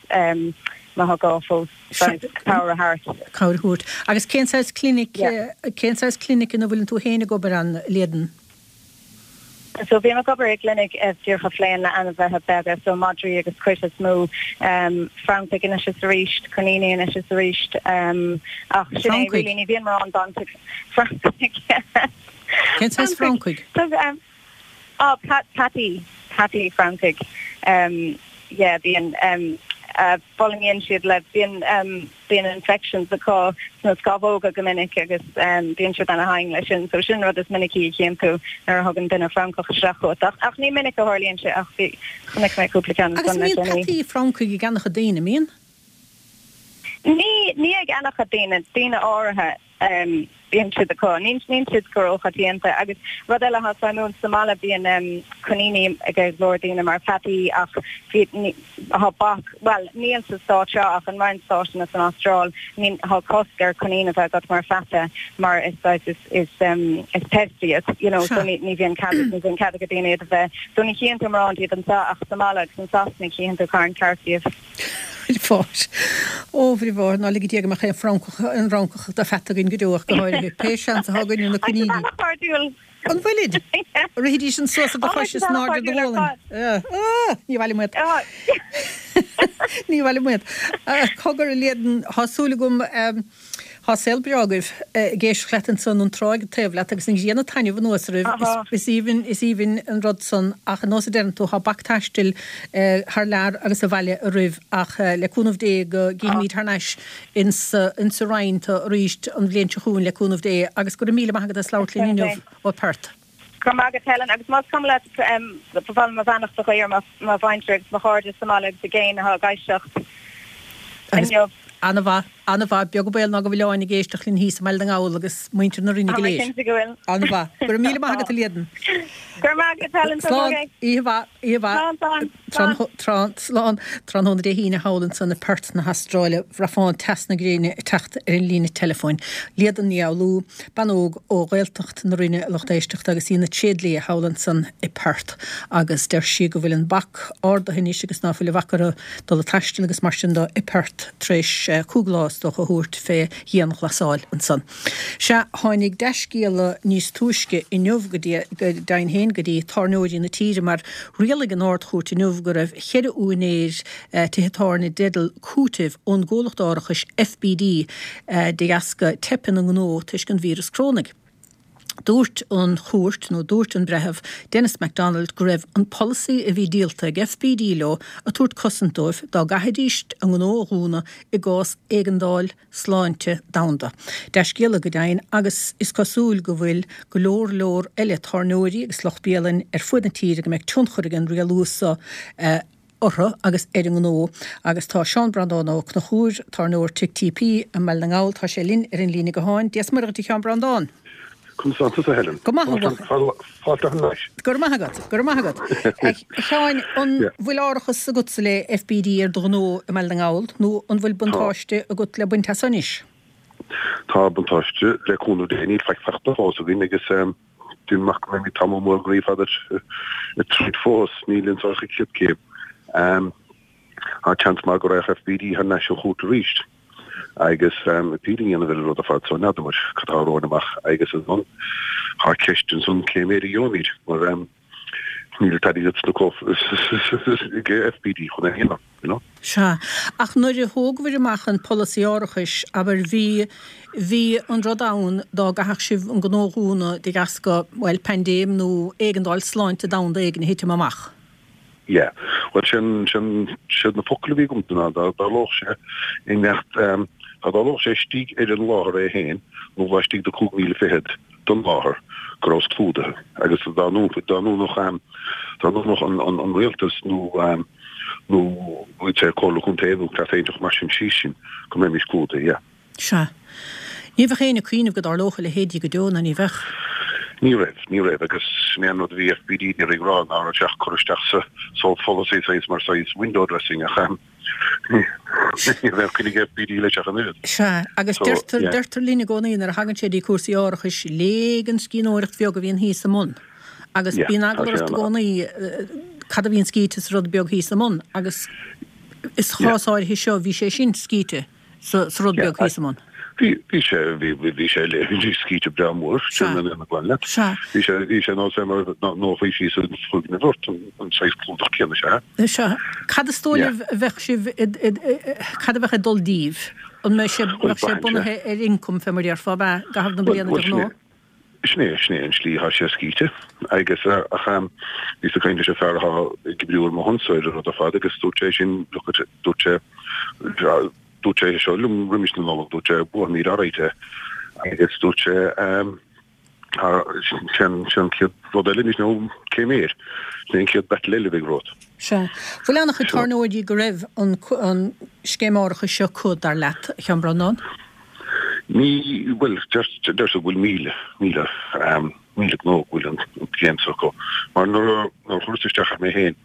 má thá gá fós cabhair a thabhairt. Cabhair a thabhairt. Agus cén saghas clinic cén saghas clinic ina bhfuileann tú féin ag obair ann, Líadan? So bím ag obair i gclinic díreach a phléann le ainmhithe beaga, so madraí agus cait is mó, francaigh anois is arís, coiníní anois is arís, ach sin é really, ní bhíonn mórán baint ag francaigh. Cén saghas francaigh? Ah, peataí, peataí francaigh. Yeah, bíonn. Fulaingíonn siad le, bíonn, bíonn infections acu sna scamhóga go minic agus bíonn siad ana-thinn leis sin. So sin an rud is minicí a chíonn tú nuair a thugann duine francach isteach chugat. Ach, ach ní minic a tharlaíonn sé ach bhí, chonaic mé cúpla ceann Agus ansan le an mbíonn déanaí. peataí francaigh ag an-chuid daoine, an mbíonn? Ní, ní ag an-chuid daoine, daoine áirithe. Bíonn siad acu. Níl siad go róchoitianta. Agus rud eile atá suimiúil, sa mbaile bíonn coiníní ag go leor daoine mar pheataí ach bhí, tá bac, bhuel níl sa stát seo ach in roinnt stáiteanna san Astráil, ní, tá cosc ar coinín a bheith agat mar pheata mar is saghas, is, is, is pest iad, you know, so ní, ní bhíonn cead, ní bhíonn cead ag daoine iad a bheith. So ní chíonn tú mórán díobh anseo ach sa mbaile agus in Sasana chíonn tú carn ceart díobh. Bhí Ó, bhí bhí ná lige Dia go mbeadh aon Fhrancach, aon Fhrancach de pheata againn go deo ach go háirithe. Pé seans atá againn ar na coiníní. Tá siad an-chairdiúil. An bhfuilid? Rithidís an suas ar do chois is in airde do ghualainn. Ah, ní bhailim uait. Ní bhailim uait. Cogar, a Líadan, tá súil agam, Tá saol breá agaibh. Ag éisteacht leat ansan, an tráigh taobh leat agus an ghrian ag taitneamh anuas oraibh. Is aoibhinn, is aoibhinn an rud san ach ar nós a deireann tú, tá bac taistil thar lear agus abhaile oraibh ach le cúnamh Dé go gcífimíd thar n-ais insa, insa Rinn tú arís an bhliain seo chugainn le cúnamh Dé agus go raibh míle maith agat as labhairt linn inniu ó Perth. Go raibh maith agat Helen agus más cuma leat ba mhaith liom mo bheannacht a ghuí ar mo mhuintir agus mo chairde sa mbaile agus i gcéin atá ag éisteacht inniu. An-mhaith, an-mhaith. Beag an baol ná go bhfuil Áine ag éisteacht linn thíos i mBaile na nGall agus muintir na Rinne go léir. Tá mé cinnte go bhfuil. An-mhaith. Go raibh míle maith agat a Líadan. Go raibh maith agat Helen. Slán. Oíche mhaith. Oíche mhaith. Slán, slán. Slán. Slán. Tráthnóna Dé hAoine thall ansan i Perth na hAstráile, bhraithfeá an teas na gréine ag teacht ar an líne teileafóin. Líadan Ní Fhoghlú, bean óg ó Ghaeltacht na Rinne a lucht éisteachta agus í ina tréidlia thall ansan i Perth agus deir sí go bhfuil an bac ardaithe anois agus ná fuil a bhac orthu dul ag taisteal agus mar sin do i Perth tar éis chúig lá is dócha a thabhairt fé dhianghlasáil ansan. Sea, tháinig dea-scéala níos túisce inniu go deimhin féin go dtí tábhairneoirí na tíre mar rialaigh an Ard-Chúirt inniu go raibh cheithre úinéir tithe tábhairne i dteideal cúitimh ón gcomhlacht árachais FBD de dheasca teip ina ngnó toisc an víreas crónaigh. Dúirt an chúirt, nó dúirt an breitheamh, Denis McDonald, go raibh an polasaí a bhí díolta ag FBD leo ag tabhairt cosaint dóibh dá gcaithfidís a ngnó a dhúnadh i gcás éigeandáil sláinte domhanda. Dea-scéala go deimhin agus is cosúil go bhfuil go leor leor eile tábhairneoirí agus lucht bialainn ar fuaid na tíre go mbeidh tionchar ag an rialú seo orthu agus ar a ngnó agus tá Seán Breandán Ó Conchúir, tábhairneoir Tigh TP i mBaile na nGall, tá sé linn ar an líne gutháin. Dia 's Muire dhuit a Sheáin Breandán. Conas tá tusa Helen? Go maith a bhuachaill. Fáilte thar n-ais. Go raibh maith agat, go raibh maith agat. A Sheáin, an bhfuil árachas agatsa le FBD ar do ghnó i mBaile na nGall nó an bhfuil buntáiste agat le baint as anois? Tá buntáiste le cúnamh Dé, níl faic faighte fós againn agus Déanaim amach go mbeimid tamall mór groí fada ag troid fós, níl anso ach an chéad céim. Tá seans maith go raghadh FBD thar n-ais an chúirt arís agus appeal a dhéanamh ar an rud ar fad so n'fheadar muid cad tá romhainn amach agus ansan tá ceist ansan cé méid a gheobhaimid mar níl an t-airgead sna cófraí ag FBD chun é a dhéanamh. you know. Sea. Ach nuair a thógabhair amach an polasaí árachais, abair, bhí, bhí an rud ann dá gcaithfeadh sibh an gnó a dhúnadh de dheasca, bhuel, paindéim nó éigeandáil sláinte domhanda éigin a thitim amach. Yeah. Bhuel, sin, sin, siad na focail a bhí agamsa ná dá dtarlódh sé i mbeacht, dá dtarlódh sé istigh ar an láthair é féin nó laistigh de chúig mhíle fichead den láthair go rabhas clúdaithe agus dá ndúnfadh, dá ndúnfadh, dá ndúnfadh an, an, an rialtas nó, nó bhfuil sé Comhairle Contae nó cleas éinteacht mar sin síos sin go mbeimis clúdaithe, yeah. Sea. Ní bheadh éinne ag cuimhneamh go dtarlódh a leithéidí go deo, ná ní bheadh? Ní raibh, ní raibh agus sin é an rud a bhí FBD ag iarraidh rá ná raibh sé ach cur isteach sa sa pholasaí saghas mar saghas window dressing ach ahem ní raibh coinne ag FBD leis ach an oiread. Sea, agus So, deirtear, yeah. deirtear linn i gcónaí nuair a thagann sé dtí cúrsaí árachais, léigh an scríbhneoireacht bheag a bhíonn thíos i mbun. Agus bíonn eagla ort i gcónaí cad a bhíonn scríte sa rud beag thíos i mbun agus sa chás áirithe seo bhí sé sin scríte sa rud beag thíos i mbun. Bhí, bhí sé, bhí, bhí sé, bhí scríte breá mór, sin an aon glan leat. Bhí sé, bhí sé nós é mar nó chuir síos an foirgneamh ort, an saghas clúdach céanna sea. Sea. Cad is dóigh libh a bheadh sibh, cad a bheadh ag dul díbh? An mbeidh sé, bheadh sé bunaithe ar ioncam fé mar a déarfá, ab ea, i gcaitheamh na bliana de ghnáth? Sin é, sin é an slí atá sé scríte agus ach bhíos ag caint leis an fear atá ag oibriú ar mo shonsa ar an rud ar fad agus dúirt sé sin, look at, dúirt sé, dúirt sé seo liom roimis na Nollag, dúirt sé buafaimid alright é agus dúirt sé sin an chéad rud eile anois nó cé méid, sin é an chéad battle eile a bheidh romhat. Sea. Bhfuil an-chuid tábhairneoirí go raibh an scéim árachais seo acu, dar leat, a Sheáin Breandán? Ní, bhuel, deirtear go bhfuil 1,000, 1,000, 1,000 gnó go bhfuil an scéim seo acu. Mar nuair a chuireas isteach air mé féin,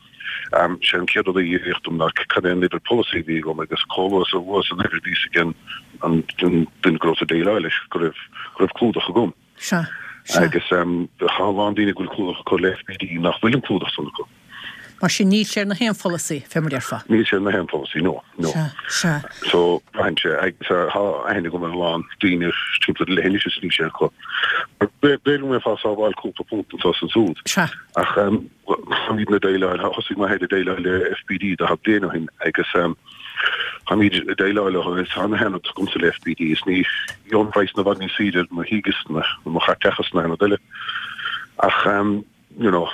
sé an chéad rud a iarraíodh dom ná cad é an uimhir polasaí a bhí agam agus chomh luath is a luas an uimhir bhí a fhios ag an duine go rabhas ag déileáil leis go raibh, go raibh clúdach agam. Sea. Sea. Agus tá a lán daoine go bhfuil clúdach acu le FBD nach bhfuil an clúdach san acu. Mar sin níl sé ar na haon pholasaí, fé mar déarfá. Níl sé ar na haon pholasaí, no, no. Sea, sea. So, braitheann sé, agus tá aithne agam ar a lán daoine timpeall ar an leithinis is níl sé acu. B'fhéidir go mbeifeá ag sábháil cúpla punt anso is ansúd. Sea. Ach táimidne ag déileáil, thosaigh mé féin ag déileáil le FBD 40 bliain ó shin agus táimid ag déileáil leo agus tá na haon rud agamsa le FBD is ní gheobhainn praghas i bhfad níos saoire ar mo thigh is mo chaiteachas ná aon rud eile. Ach you know,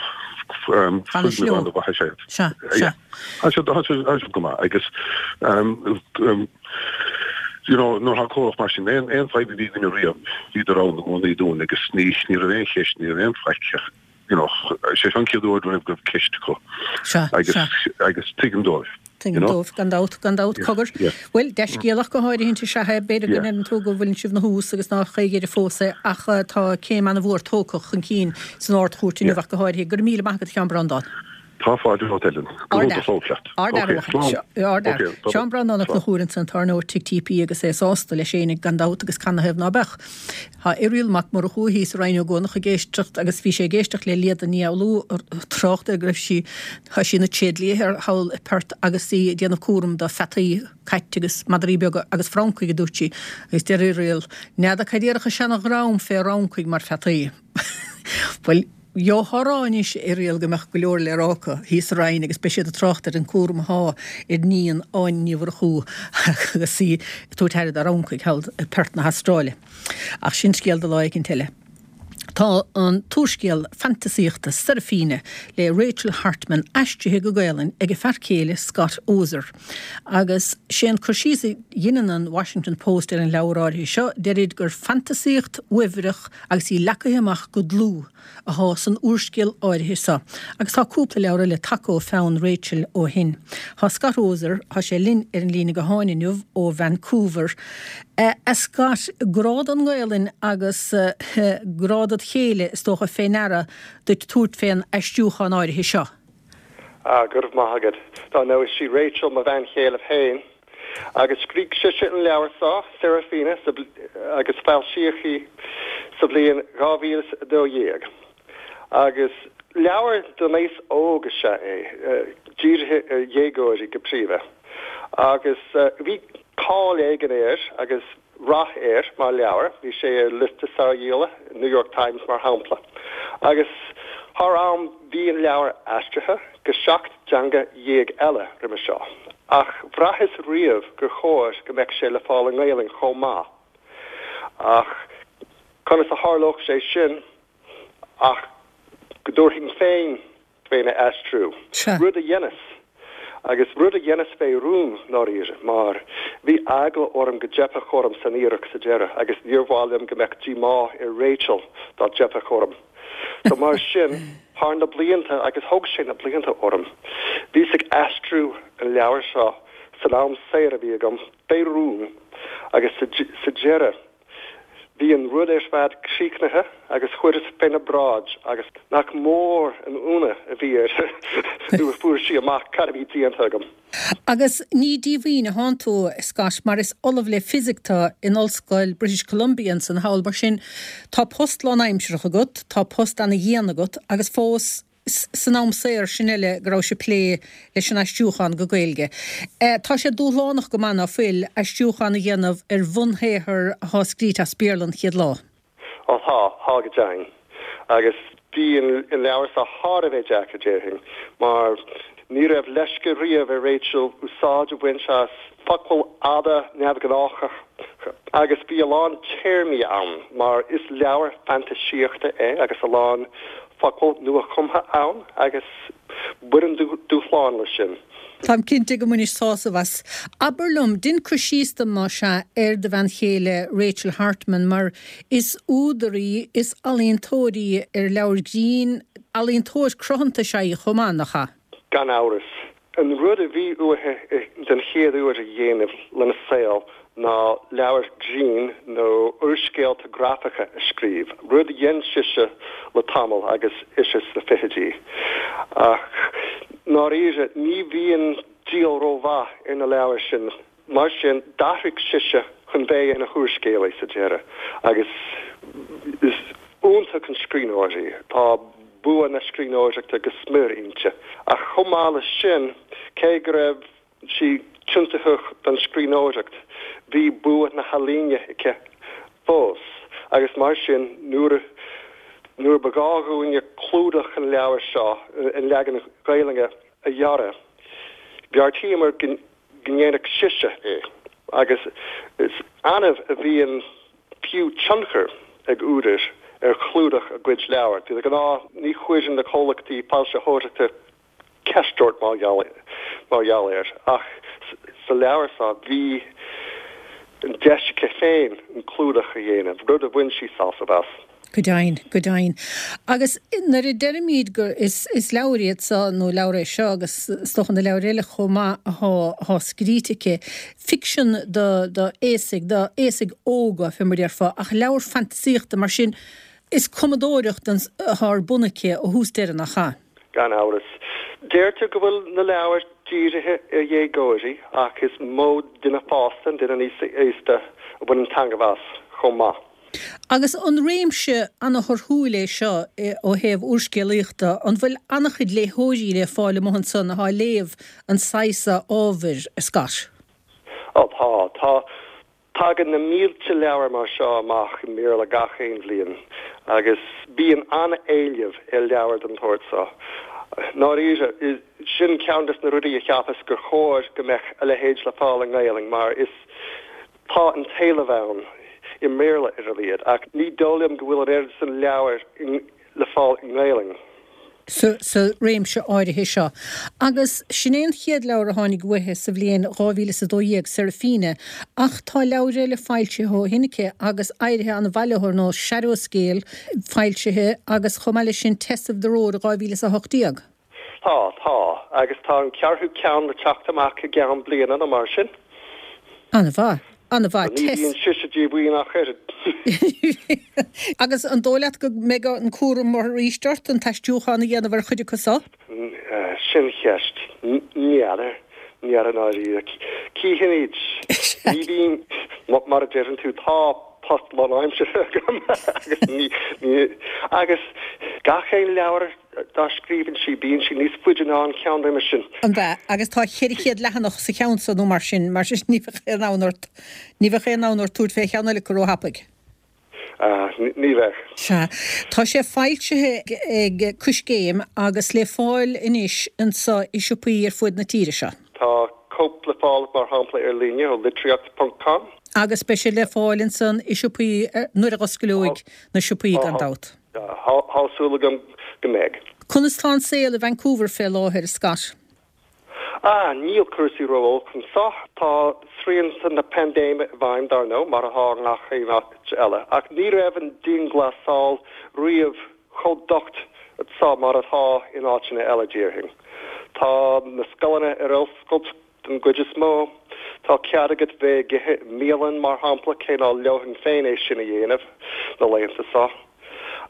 foirgneamh an-mhaith is ea iad. Sea, sea. Tá siad, tá siad, tá siad go maith agus you know, nuair atá comhlacht mar sin, aon, aon fadhb a bhí againne riamh, bhíodar ann i gcónaí dúinn agus ní, ní raibh aon cheist, ní raibh aon faic ach, you know, sé seo an chéad uair riamh go raibh ceist acu. Sea, Agus, sea. agus tuigim dóibh. Tuigim dóibh, gan dabht, gan dabht, cogar. Bhuel, dea-scéal ach go háirithint is ea é. B'fhéidir go ndeireann tú go bhfuileann sibh 'na thús agus nách aon dheireadh fós é, ach tá céim ana-mhór tógtha chun cinn san Ard-Chúirt inniu ach go háirithe. Go raibh míle maith agat, a Sheáin Breandán. Tá fáilte romhat, Ellen. Go hiontach fós leat. Ard-fhear uait. Ard-fhear. Seán Breandán Ó Conchúir ansan, tábhairneoir Tigh TP agus é sásta leis fhéinig, gan dabht, agus canathaobh ná beadh. Tá Irial Mac Murchú thíos i Rinn Ó gCuanach ag éisteacht agus bhí sé ag éisteacht le Liada Ní Fhoghlú ag trácht ar go raibh sí, tá sí ina tréidlia thall i Perth agus í ag déanamh cúram do pheataí, cait agus madraí beaga agus francaigh a dúirt sí. Agus deir Irial, N'fheadar cad a déarfadh an seana-dhream fé fhrancaigh mar pheataí. Bhuel, gheofá a rá anois, a Irial, go mbeadh go leor le rá acu thíos sa Rinn agus beidh siad ag trácht ar an cúram athá ar iníon Áine Ní Mhurchú agus í ag tabhairt aire dá fhrancaigh thall i Perth na hAstráile. Ach sin scéal do lá éicint eile. Tá an t-úrscéal fantasaíochta Seraphina le Rachel Hartman aistrithe go Gaolainn ag a fear céile Scott Oser. Agus sé an cur síos a dheineann an Washington Post ar an leabhar áirithe seo, deirid gur fantasaíocht uaibhreach agus í leagtha amach go dlúth athá san úrscéal áirithe seo, agus tá cúpla leabhar eile tagtha ó pheann Rachel ó shin. Thá Scott Oser, thá sé linn ar an líne gutháin inniu ó Vancouver. A Scott, grá don nGaelainn agus grá dod chéile is dócha fé ndeara duit tabhairt fén aistriúchán áirithe seo. Ah, go raibh maith agat. Dar ndóigh, is í Rachel mo bhean chéile féin, agus scrígh sise an leabhar seo, Seraphina, agus foilsíodh í sa bhliain 2012. Agus leabhar don aos óg is ea é, dírithe ar dhéagóirí go príomha. Agus bhí cáil éigin air agus rath air mar leabhar, bhí sé ar liosta sárdhíola New York Times mar shampla, agus thar am bhí an leabhar aistrithe go 17 dteanga eile roimhe seo, ach bhraitheas riamh gur chóir go mbeadh sé le fáil i nGaelainn chomh maith. Ach conas a tharlódh sé sin ach go dtabharfainn féin féna aistriú. Rud a dheineas. Agus rud a dheineas fé rún, ndáiríre, mar bhí eagla orm go dteipfeadh orm san iarracht sa deireadh agus níor mhaith liom go mbeadh díomá ar Rachel dá dteipfeadh orm. So mar sin, thar na blianta, agus thóg sé na blianta orm, bhíos ag aistriú an leabhair seo san am saor a bhí agam, fé rún, agus sa deireadh, Bhí an rud ar fad críochnaithe agus chuireas féna bráid agus nach mór an ionadh a bhí uirthi nuair a fuair sí amach cad a bhí déanta agam. Agus ní díomhaoin athánn tú, Scott, mar is ollamh le fisic tú in Ollscoil British Columbia ansan thall, mar sin tá post lánaimsearach agat, tá post ana-dhian agat agus fós, san am saor sin eile go rabhais ag plé leis an aistriúchán go Gaeilge. Tá sé dúshlánach go maith, ná fuil, aistriúchán a dhéanamh ar bhunshaothar athá scríte as Béarla an chéad lá? Ó tá, tá go deimhin. Agus bhí an leabhar seo thar a bheith deacair, déarfainn, mar ní raibh leisce riamh ar Rachel úsáid a bhaint as focail fhada neamhghnácha. Agus bhí a lán téarmaí ann, mar is leabhar fantaisíochta é agus a lán focal nua-chumtha ann agus baineann dúshlán leis sin. Táim cinnte go mbainis sásamh as. Abair liom, dein cur síos dom, más ea, ar do bhean chéile Rachel Hartman, mar is údar í, is ealaíontóir í ar leabhair grinn, ealaíontóir cruthanta is ea í chomh maith, nach ea? Gan amhras. An rud a bhí uaithi den chéad uair a dhéanamh lena saol ná leabhair grinn nó úrscéalta grafacha a scríobh, rud a dhein sise le tamall agus ise sna fichidí. Ach ndáiríre, ní bhíonn díol rómhaith ar na leabhair sin. Mar sin, d'athraigh sise chun bheith ina húrscéalaí sa deireadh agus is iontach an scríbhneoir í. Tá bua na scríbhneoireachta go smior inti. Ach chomh maith leis sin, cé go raibh sí tiontaithe don scríbhneoireacht, bhí bua na healaíne aici fós agus mar sin, nuair nuair ba ghá dhúinne clúdach an leabhair seo, an leagan Gaelainne, a dhearadh, bheartaíomar go go ndéanfadh sise é, agus is annamh a bhíonn fiú tionchar ag údair ar chlúdach a gcuid leabhar. De ghnáth ní chuireann na comhlachtaí foilsitheoireachta ceist ort mar gheall air, ach sa leabhar seo bhí an deis aici féin an clúdach a dhéanamh, rud a bhain sí sásamh as. Go deimhin, go deimhin. Agus nuair a deirimid gur, is, is leabhair iad seo, nó leabhar é seo agus is dócha na leabhair eile chomh maith athá, athá scríte aici, ficsean do, do aosaigh, do aosaigh óga, fé mar a déarfá, ach leabhar fantasaíochta, mar sin, is cumadóireacht den, athá ar bun aici ó thús deireadh, nach ea? Gan amhras. Deirtear go bhfuil na leabhair dírithe ar dhéagóirí ach is mó duine fásta, an duine níos aosta, a bhaineann taitneamh as chomh maith. Agus an réimse ana-thorthúil é seo ó thaobh úrscéalaíochta? An bhfuil ana-chuid léitheoirí le fáil amuigh ansan athá ag léamh an saghas ábhair, a Scott? Ó tá, tá. Tagann na mílte leabhar mar seo amach i mBéarla gach aon bhliain agus bíonn an-éileamh ar leabhair den tsórt seo. Ndáiríre, sin ceann des na rudaí a cheapas gur chóir go mbeadh a leithéid le fáil i nGaelainn mar is Tá an t-éileamh ann, i mBéarla ar a laghad, ach ní dóigh liom go bhfuil an oiread san leabhar le fáil i nGaelainn. sa réimse áirithe seo. Agus sin é an chéad leabhar a tháinig uaithi sa bhliain 2012, Seraphina, ach tá leabhair eile foilsithe ó shin aici agus éirithe an-mhaith leo, ar nós Shadowscale, foilsithe agus chomh maith leis sin Tess of the Road i 2018. Tá, tá. Agus tá an ceathrú ceann le teacht amach i gceann bliana nó mar sin. An-mhaith. An-mhaith. Ní bhíonn sise díomhaoin ach oiread. Agus an dóigh leat go mbeidh an cúram arís ort an t-aistriúchán a dhéanamh ar chuid acu so? Sin ceist. N'fheadar. N'fheadar i ndáiríre. Cífimid. Ní bhíonn, mar a deireann tú, tá post lánaimseartha agam agus ní, ní, agus gach aon leabhar dá scríobhann sí, bíonn sí níos faide ná an ceann roimhe sin. An ea? Agus tá 400 leathanach sa cheann so nó mar sin, mar sin ní bheadh aon fhonn ort, ní bheadh aon fhonn ort tabhairt fé cheann eile acu róthapaidh. Ah, ní bheadh. Sea. Tá sé foilsithe ag Coiscéim agus le fáil anois anso i siopaí ar fuaid na tíre seo. Tá cóip le fáil mar shampla ar líne ó litríocht ponc com. Agus beidh sé le fáil ansan i siopaí nuair a dh'osclóidh na siopaí gan dabht. Tá súil agam go mbeidh. Conas tá an saol i Vancouver fé láthair, a Scott? Ah, níl cúrsaí ró-olc anso. Tá srianta na paindéime i bhfeidhm, dar ndóigh, mar atá i ngach aon áit eile. Ach ní raibh an dianghlasáil riamh chomh docht anso mar atá in áiteanna eile, déarfainn. Tá na scoileanna ar oscailt Den gcuid is mó, tá cead agat bheith ag ithe i mbialann, mar shampla, cé ná leomhfainn féin é sin a dhéanamh na laethanta seo.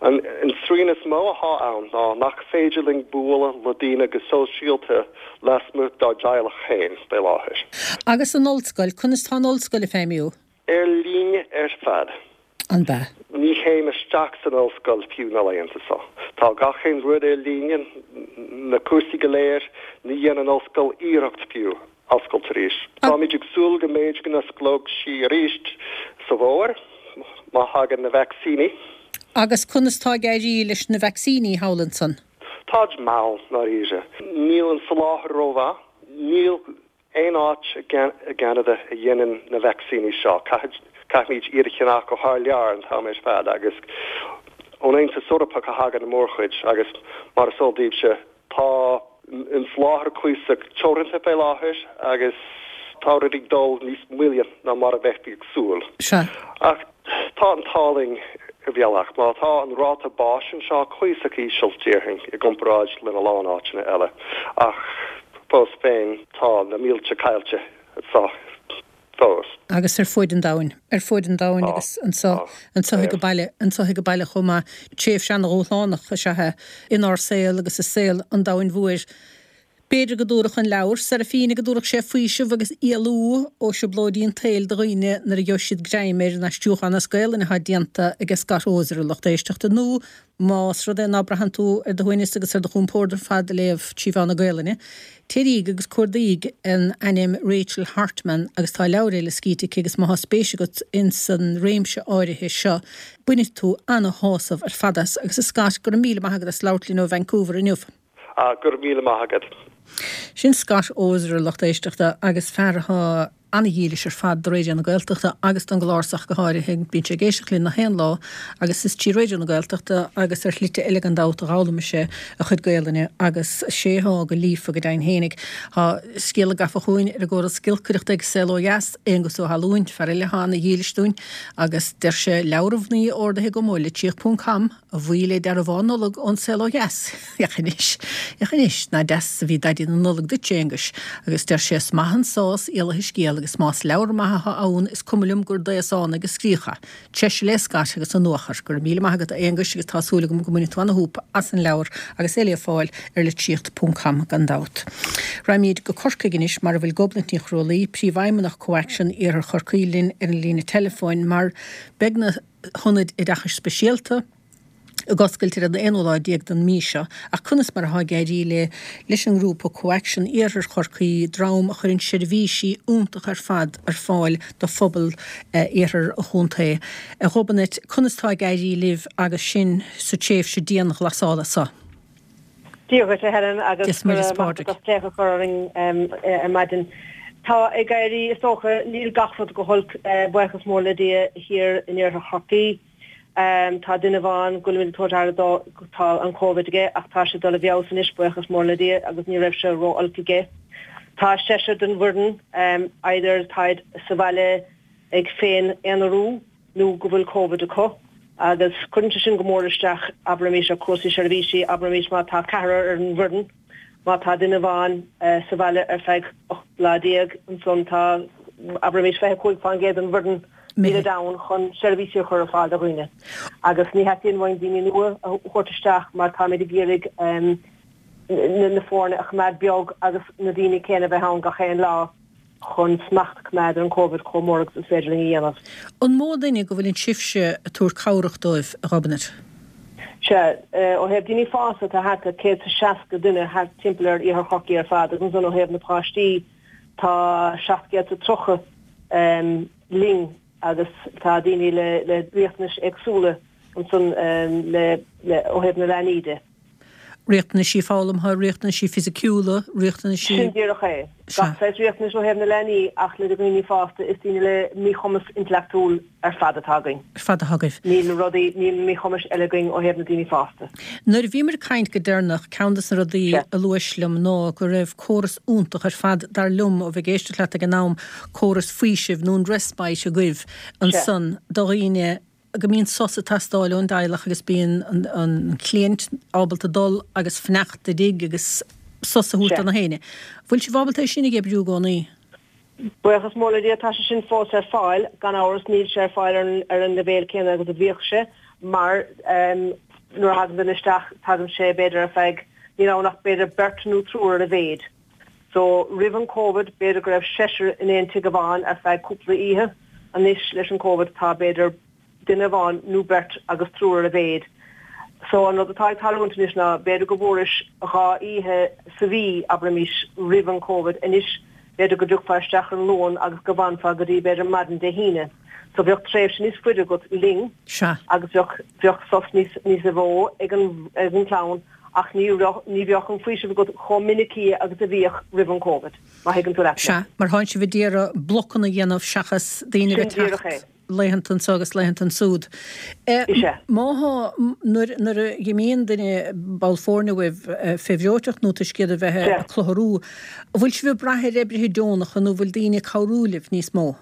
An srian is mó athá ann ná nach féidir linn bualadh le daoine go sóisialta lasmuigh dár dteaghlach féin fé láthair. Agus an ollscoil, conas tá an ollscoil ag feidhmiú? Ar líne ar fad. An ea? Ní théim isteach san ollscoil fiú na laethanta seo. Tá gach aon rud ar líne, na cúrsaí go léir, ní dhéanann an ollscoil iarracht fiú oscailt arís. Táimid ag súil go mb'fhéidir go n-osclóidh sí arís sa bhfómhar, má thagann na vacsaíní. Agus conas tá ag éirí leis na vacsaíní thall ansan? Táid mall, ndáiríre. Níl an soláthar rómhaith. Níl aon áit i gCeanada a dhéanann na vacsaíní seo. Caithfimid iad a cheannach ó thar lear an t-am ar fad agus ón Aontas Eorpach a thagann an mhórchuid agus mar is eol daoibhse tá an soláthar cuíosach teoranta fé láthair agus tá rudaí ag dul níos moille ná mar a bheifí ag súil. Sea. Ach tá an t-ádh linn ar bhealach mar tá an ráta báis anseo cuíosach íseal déarfainn i gcomparáid lena lán áiteanna eile ach fós féin tá na mílte caillte anseo fós. Agus ar fuaid an domhain. Ar fuaid an domhain agus anseo, anseo ag baile, anseo ag baile chomh maith. Tréimhse ana-dhúshlánach is ea é inár saol agus i saol an domhain mhóir. B'fhéidir go dtabharfadh an leabhar, Seraphina, go dtabharfadh sé faoiseamh agus éalú ó thrioblóidí an tsaoil do dhaoine nuair a gheobhaidh siad greim air, an aistriúchán as Gaelainn atá déanta ag Scott Oser, a lucht éisteachta, nó Más rud é ná braitheann tú ar do shuaimhneas agus ar do chompord ar fad ag léamh trí mheán na Gaelainne, téiríg agus cuardaíg an ainm Rachel Hartman agus tá leabhair eile scríte aici agus má thá spéis agat ins an réimse áirithe seo, bainfidh tú ana-shásamh ar fad as. Agus a Scott, go raibh míle maith agat as labhairt linn ó Vancouver inniu. Ah, go raibh míle maith agat. Sin Scott Oser, a lucht éisteachta, agus fear atá ana-dhílis ar fad do Raidió na Gaeltachta agus don gclár so ach go háirithe. Bíonn sé ag éisteacht linn nach aon lá agus is trí Raidió na Gaeltachta agus ar shlite eile gan dabht a d'fhoghlaim sé a chuid Gaelainne agus sé thá go líofa go deimhin fhéinig. Tá scéala gafa chugainn ar an gcóras giolcaireachta ag Saol Ó Dheas, Aonghus Ó hAlúin, fear eile atá ana-dhílis dúinn agus deir sé leabhar an mhnaoi ordaithe agam ó litríocht ponc com, A bhuí le dearbhán Nollag ón Saol Ó Dheas. Féach anois, féach anois, nach deas a bhí Daidí na Nollag duit, a Aonghuis, agus deir sé is maith an sás éalaithe scéal agus más leabhar maith atá ann is cuma liom gur d'aosánaigh a scríodh é. Treise le Scott agus an nuachar. Go raibh míle maith agat a Aonghuis agus tá súil agam go mbainfidh tú ana-shúp as an leabhar agus é le fáil ar litríocht ponc com gan dabht. Raghaimid go Corcaigh anois mar a bhfuil Gobnait Ní Chrualaoi, Príomhfheidhmeannach ComhAction Iarthar Chorcaí linn ar an líne teileafóin mar beidh na hionaid oideachais speisialta ag oscailt ar an aonú lá déag den mhí seo, ach conas mar atá ag éirí le leis an ngrúpa ComhAction Iarthar Chorcaí, dream a chuireann seirbhísí iontacha ar fad ar fáil do phobal iarthar an chontae. A Ghobnait, conas tá ag éirí libh agus sinn sa tréimhse dianghlasála seo? Dia dhuit, a Helen, agus go raibh maith agat as glaoch a chur orainn ar maidin. Tá ag éirí, is dócha, níl gach rud go holc, buíochas mór le Dia, thiar in iarthar Chorcaí. Tá duine amháin go bhfuilimid ag tabhairt aire dó, tá an Covid aige ach tá sé ag dul i bhfeabhas anois, buíochas mór le Dia, agus ní raibh sé ró-olc aige. Tá seisear den bhfoireann, either táid sa bhaile ag féin-aonarú, nó go bhfuil Covid acu agus cuireann sé sin go mór isteach, abraimis, ar chúrsaí seirbhísí, abraimis má tá ceathrar ar an bhfoireann, má tá duine amháin sa bhaile ar feadh 18 lá, ansan tá, abraimis, 25% den bhfoireann nílid ann chun seirbhísí a chur ar fáil do dhaoine. Agus ní theastaíonn uainn daoine nua a thabhairt isteach mar táimid ag iarraidh na foirne a choimeád beag agus na daoine céanna a bheith ann gach aon lá. chun smacht a choimeád ar an Covid chomh mór agus is féidir linn a dhéanamh. An mó duine go bhfuileann sibhse ag tabhairt cabhrach dóibh, a Ghobnait? Sea, ó thaobh daoine fásta tá thart ar 160 duine thart timpeall ar Iarthar Chorcaí ar fad agus ansan ó thaobh na páistí tá 730 linn agus tá daoine le riachtanais éagsúla ansan le ó thaobh na leanaí de. Riachtanaisí foghlamtha, riachtanaisí fisiciúla, riachtanaisí. Sin díreach é. Gach saghas riachtanais ó thaobh na leanaí ach le daoine fásta, is daoine le míchumas intleachtúil ar fad atá againn. Ar fad atá agaibh. Níl rudaí, níl míchumais eile againn ó thaobh na daoine fásta. Nuair a bhíomar ag caint go deireanach, ceann des na rudaí a luais liom ná go raibh córas iontach ar fad, dar liom, ó bheith ag éisteacht leat ag an am, córas faoisimh nó an respite agaibh ansan do dhaoine, go mbíonn sos ag teastáil ón dteaghlach agus bíonn an client ábalta dul agus fanacht i dtigh agus sos a thabhairt do na héinne. Bhfuil sibh ábalta é sin a oibriú i gcónaí? Buíochas mór le Dia tá sé sin fós ar fáil. Gan amhras níl sé ar fáil ar an leibhéal céanna agus a bhíodh sé mar nuair a thagann duine isteach tagann sé b'fhéidir ar feadh, níl ann ach b'fhéidir beirt nó triúr ar a mhéid. So roimh an Covid b'fhéidir go raibh seisear in aon tigh amháin ar feadh cúpla oíche, anois leis an Covid tá b'fhéidir duine amháin nó beirt agus triúr ar a mhéid. So an rud atá ag tarlúint anois ná b'fhéidir go bhfuairis dhá oíche sa mhí, abraimis, roimh an Covid, anois b'fhéidir go dtiocfá isteach ar an Luan agus go bhfanfá go dtí b'fhéidir maidin Dé hAoine. So bheadh tréimhse níos faide agat linn Sea. agus bheadh bheadh sos níos níos mó ag an ag an clann. ach ní raibh, ní bheadh an faoiseamh agat chomh minicí agus a bhíodh roimh an Covid, má thuigeann tú leat mé. Sea, mar thánn sibh ag iarraidh blocanna a dhéanamh seachas daoine a bheith ag Sin díreach teacht. é. laethanta anso agus laethanta ansúd. Is ea. Má thá, nuair, nuair a dh'imíonn duine, ball foirne uaibh, fé bhreoiteacht nó toisc iad a bheith ag clutharú, an bhfuil sibh ag brath ar oibrithe deonacha nó an bhfuil daoine ag cabhrú libh níos mó?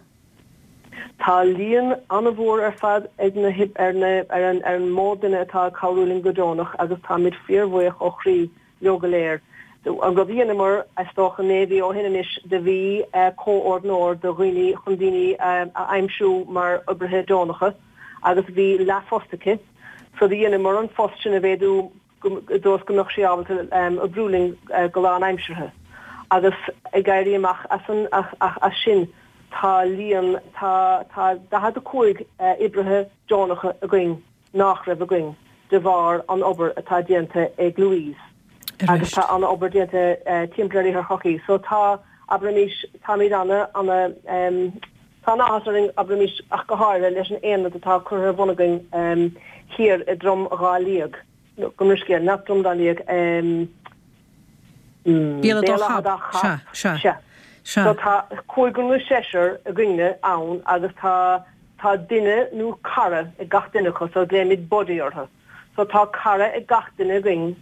Tá líon an-mhór ar fad ag na, ar na, ar an, ar an mó duine atá ag cabhrú linn go deonach agus táimid fíorbhuíoch ó chroí leo go léir. An rud a dheineamar, is dócha naoi mhí ó shin anois, do bhí comhordnóir do dhaoine chun daoine a aimsiú mar oibrithe deonacha agus bhí leathphost aici so do dheineamar an phost sin a mhéadú i dtreo is go mbeadh sí ábalta oibriú linn go lánaimseartha. Agus ag éirí amach as an as sin tá líon tá tá 45 oibrithe deonacha againn nach raibh againn de bharr an obair atá déanta ag Louise agus tá an-obair déanta timpeall ar Iarthar Chorcaí. So tá, abraimis, táimid ana, ana, tá an-áthas orainn, abraimis, ach go háirithe leis an aonad atá curtha ar bun againn thiar i dTrom Dhá Liag, gabh mo leithscéal, nach Drom Dá Liag, Béal Átha Dá Chap. Sea, sea. So tá cúigear nó seisear againne ann agus tá tá duine nó cara ag gach duine acu so glaoimid buddy orthu. So tá cara ag gach duine againn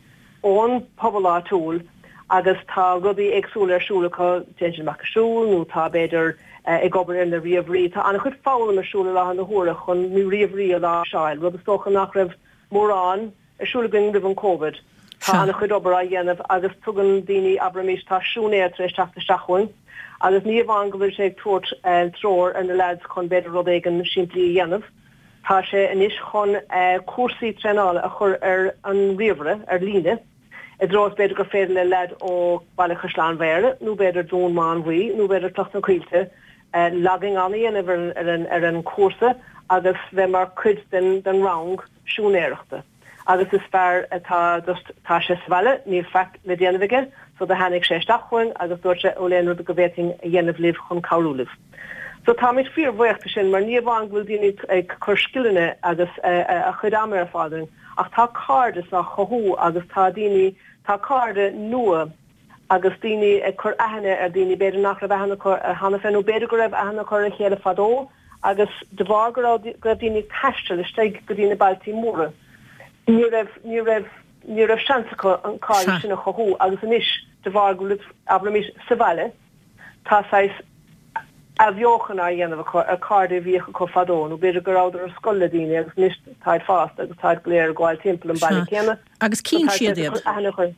ón pobal áitiúil agus tá rudaí éagsúla ar siúl acu, téann siad amach ag siúl nó tá b'fhéidir ag obair ar na ríomhairí. Tá an-chuid foghlaim ar siúl i láthair na huaire chun na ríomhairí a láimhseáil, rud is dócha nach raibh mórán ar siúl againn roimh an Covid. Tá an-chuid obair á dhéanamh agus tugann daoine, abraimis, tá siúinéir tar éis teacht isteach chugainn agus ní amháin go bhfuil sé ag tabhairt treoir ar na leaids chun b'fhéidir rud éigin simplí a dhéanamh, tá sé anois chun cúrsaí traenála a chur ar an ríomhaire, ar líne, i dtreo is b'fhéidir gur féidir le leaid ó Bhaile Chaisleáin Bhéarra nó b'fhéidir Dún Mánmhaí nó b'fhéidir Cloich na Coillte logging on a dhéanamh ar an chúrsa agus bheith mar chuid den rang. siúinéireachta agus is fear atá just tá sé sa bhaile níl faic le déanamh aige so do tháinig sé isteach chugainn agus dúirt sé bhfuil aon rud go bhféadfainn a dhéanamh libh chun cabhrú libh. So táimid fíor bhuíoch de sin mar ní amháin go bhfuil daoine ag cur scileanna agus a chuid ama ar fáil dúinn ach tá cairdeas á chothú agus tá daoine tá cairde nua agus daoine ag cur aithne ar daoine b'fhéidir nach raibh aithne acu ar cheana féin nó b'fhéidir go raibh aithne acu ar a chéile fadó agus de bharr go raibh go raibh daoine ag taisteal istigh go dtí na bailtí móra ní raibh ní raibh ní raibh seans acu an cairdeas sin a chothú agus anois de bharr go bhfuil abraimis sa bhaile tá saghas athbheochan á dhéanamh acu ar cairde a bhíodh acu fadó nó b'fhéidir go rabhadar ar scoil le daoine agus anois táid fásta agus táid go léir ag gabháil timpeall an baile céanna. Agus cíonn siad iad.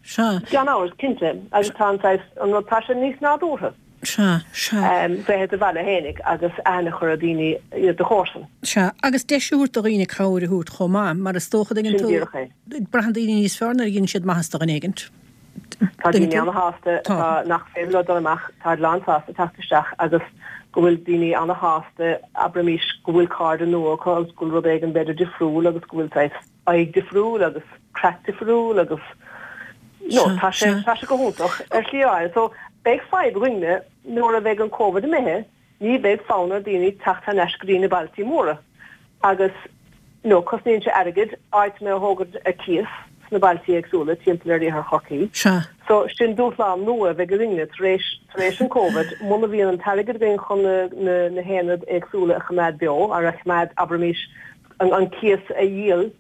Sea. Gan amhras, cinnte. Agus tá an saghas, an rud, tá sé níos nádúrtha. Sea, sea. Bheith i do bhaile fhéinig agus aithne a chur ar daoine, do chomharsan. Sea. Agus deis a thabhairt do dhaoine cabhair a thabhairt chomh maith, mar is dócha, tuigeann tú. Sin díreach é. Braitheann daoine níos fearr nuair a dhéanann siad maitheas do dhuine éigint. Tá daoine ana-shásta, atá, nach féidir leo dul amach, táid lán-sásta teacht isteach agus go bhfuil daoine ana-shásta, abraimis, go bhfuil cairde nua acu agus go bhfuil rud éigin b'fhéidir difriúil agus go bhfuil saghas, aghaidh difriúil agus craic difriúil agus no tá sé tá sé go hiontach ar shlí áirithe. So beidh fadhb againne nuair a bheidh an Covid imithe, ní bheidh fonn ar daoine teacht thar n-ais go dtí na bailtí móra agus no cosnaíonn sé airgead áiteanna a thógaint ar cíos sna bailtí éagsúla timpeall ar Iarthar Chorcaí. Sea. So sin dúshlán nua a bheidh againne tar éis tar éis an Covid muna bhíonn an t-airgead againn chun na na na haonaid éagsúla a choimeád beo ar a choimeád abraimis an cíos a dhíol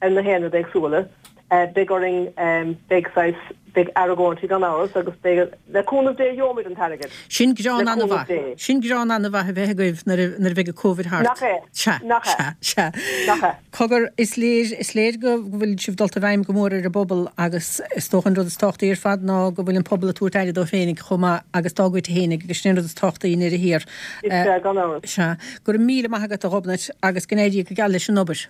ar na haonaid éagsúla. Beidh orainn, beidh saghas, beidh argóintí gan amhras agus beidh, le cúnamh Dé gheobhaimid an t-airgead. Sin greann an-mhaith. Le cúnamh Dé. Sin greann an-mhaith a bheith agaibh nuair a, nuair a bheidh an Covid thart. Nach é? Sea. Nach é? Sea, sea. Nach é? Cogar, is léir, is léir go bhfuil sibh dulta i bhfeidhm go mór ar an bpobal agus is dócha an rud is tábhachtaí ar fad ná go bhfuil an pobal ag tabhairt aire dó féinig chomh maith agus dá gcuid féinig agus sin an rud is tábhachtaí i ndeireadh thiar. Is ea, gan amhras. Sea. Go raibh míle maith agat, a Ghobnait, agus go n-éirí go geal leis an obair.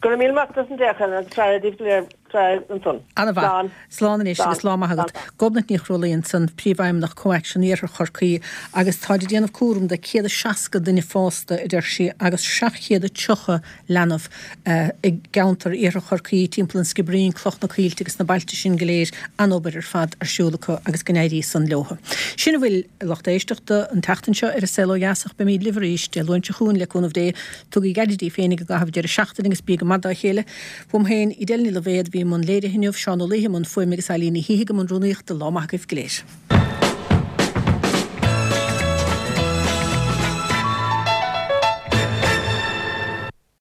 Go raibh míle maith agat as an dtéacs, Helen, agus faire daoibh go léir, faire ansan. Ana-mhaith. Slán. Slán anois agus lá maith agat. Gobnait Ní Chrualaoi ansan, Príomhfheidhmeannach ComhAction Iarthar Chorcaí, agus táid ag déanamh cúram de 160 duine fásta, a deir sí, agus 730 leanbh i gceantar Iarthar Chorcaí, timpeall an Sciobairín, Cloich na Coillte agus na bailte sin go léir, an-obair ar fad ar siúl acu agus go n-éirí san leothu. Sin a bhfuil, a lucht éisteachta, an tseachtain seo ar An Saol Ó Dheas ach beimid libh arís Dé Luain seo chugainn le cúnamh Dé. Tugaigí aire daoibh féinig i gcaitheamh deireadh seachtaine agus bígí go maith dá chéile. Uaim féin, Edel Ní Loibhéad, a bhí i mbun léirithe inniu, Seán Ó Laoithe i mbun fuaime agus Eilín Ní Shíthigh i mbun rúnaíochta. Lá maith agaibh go léir.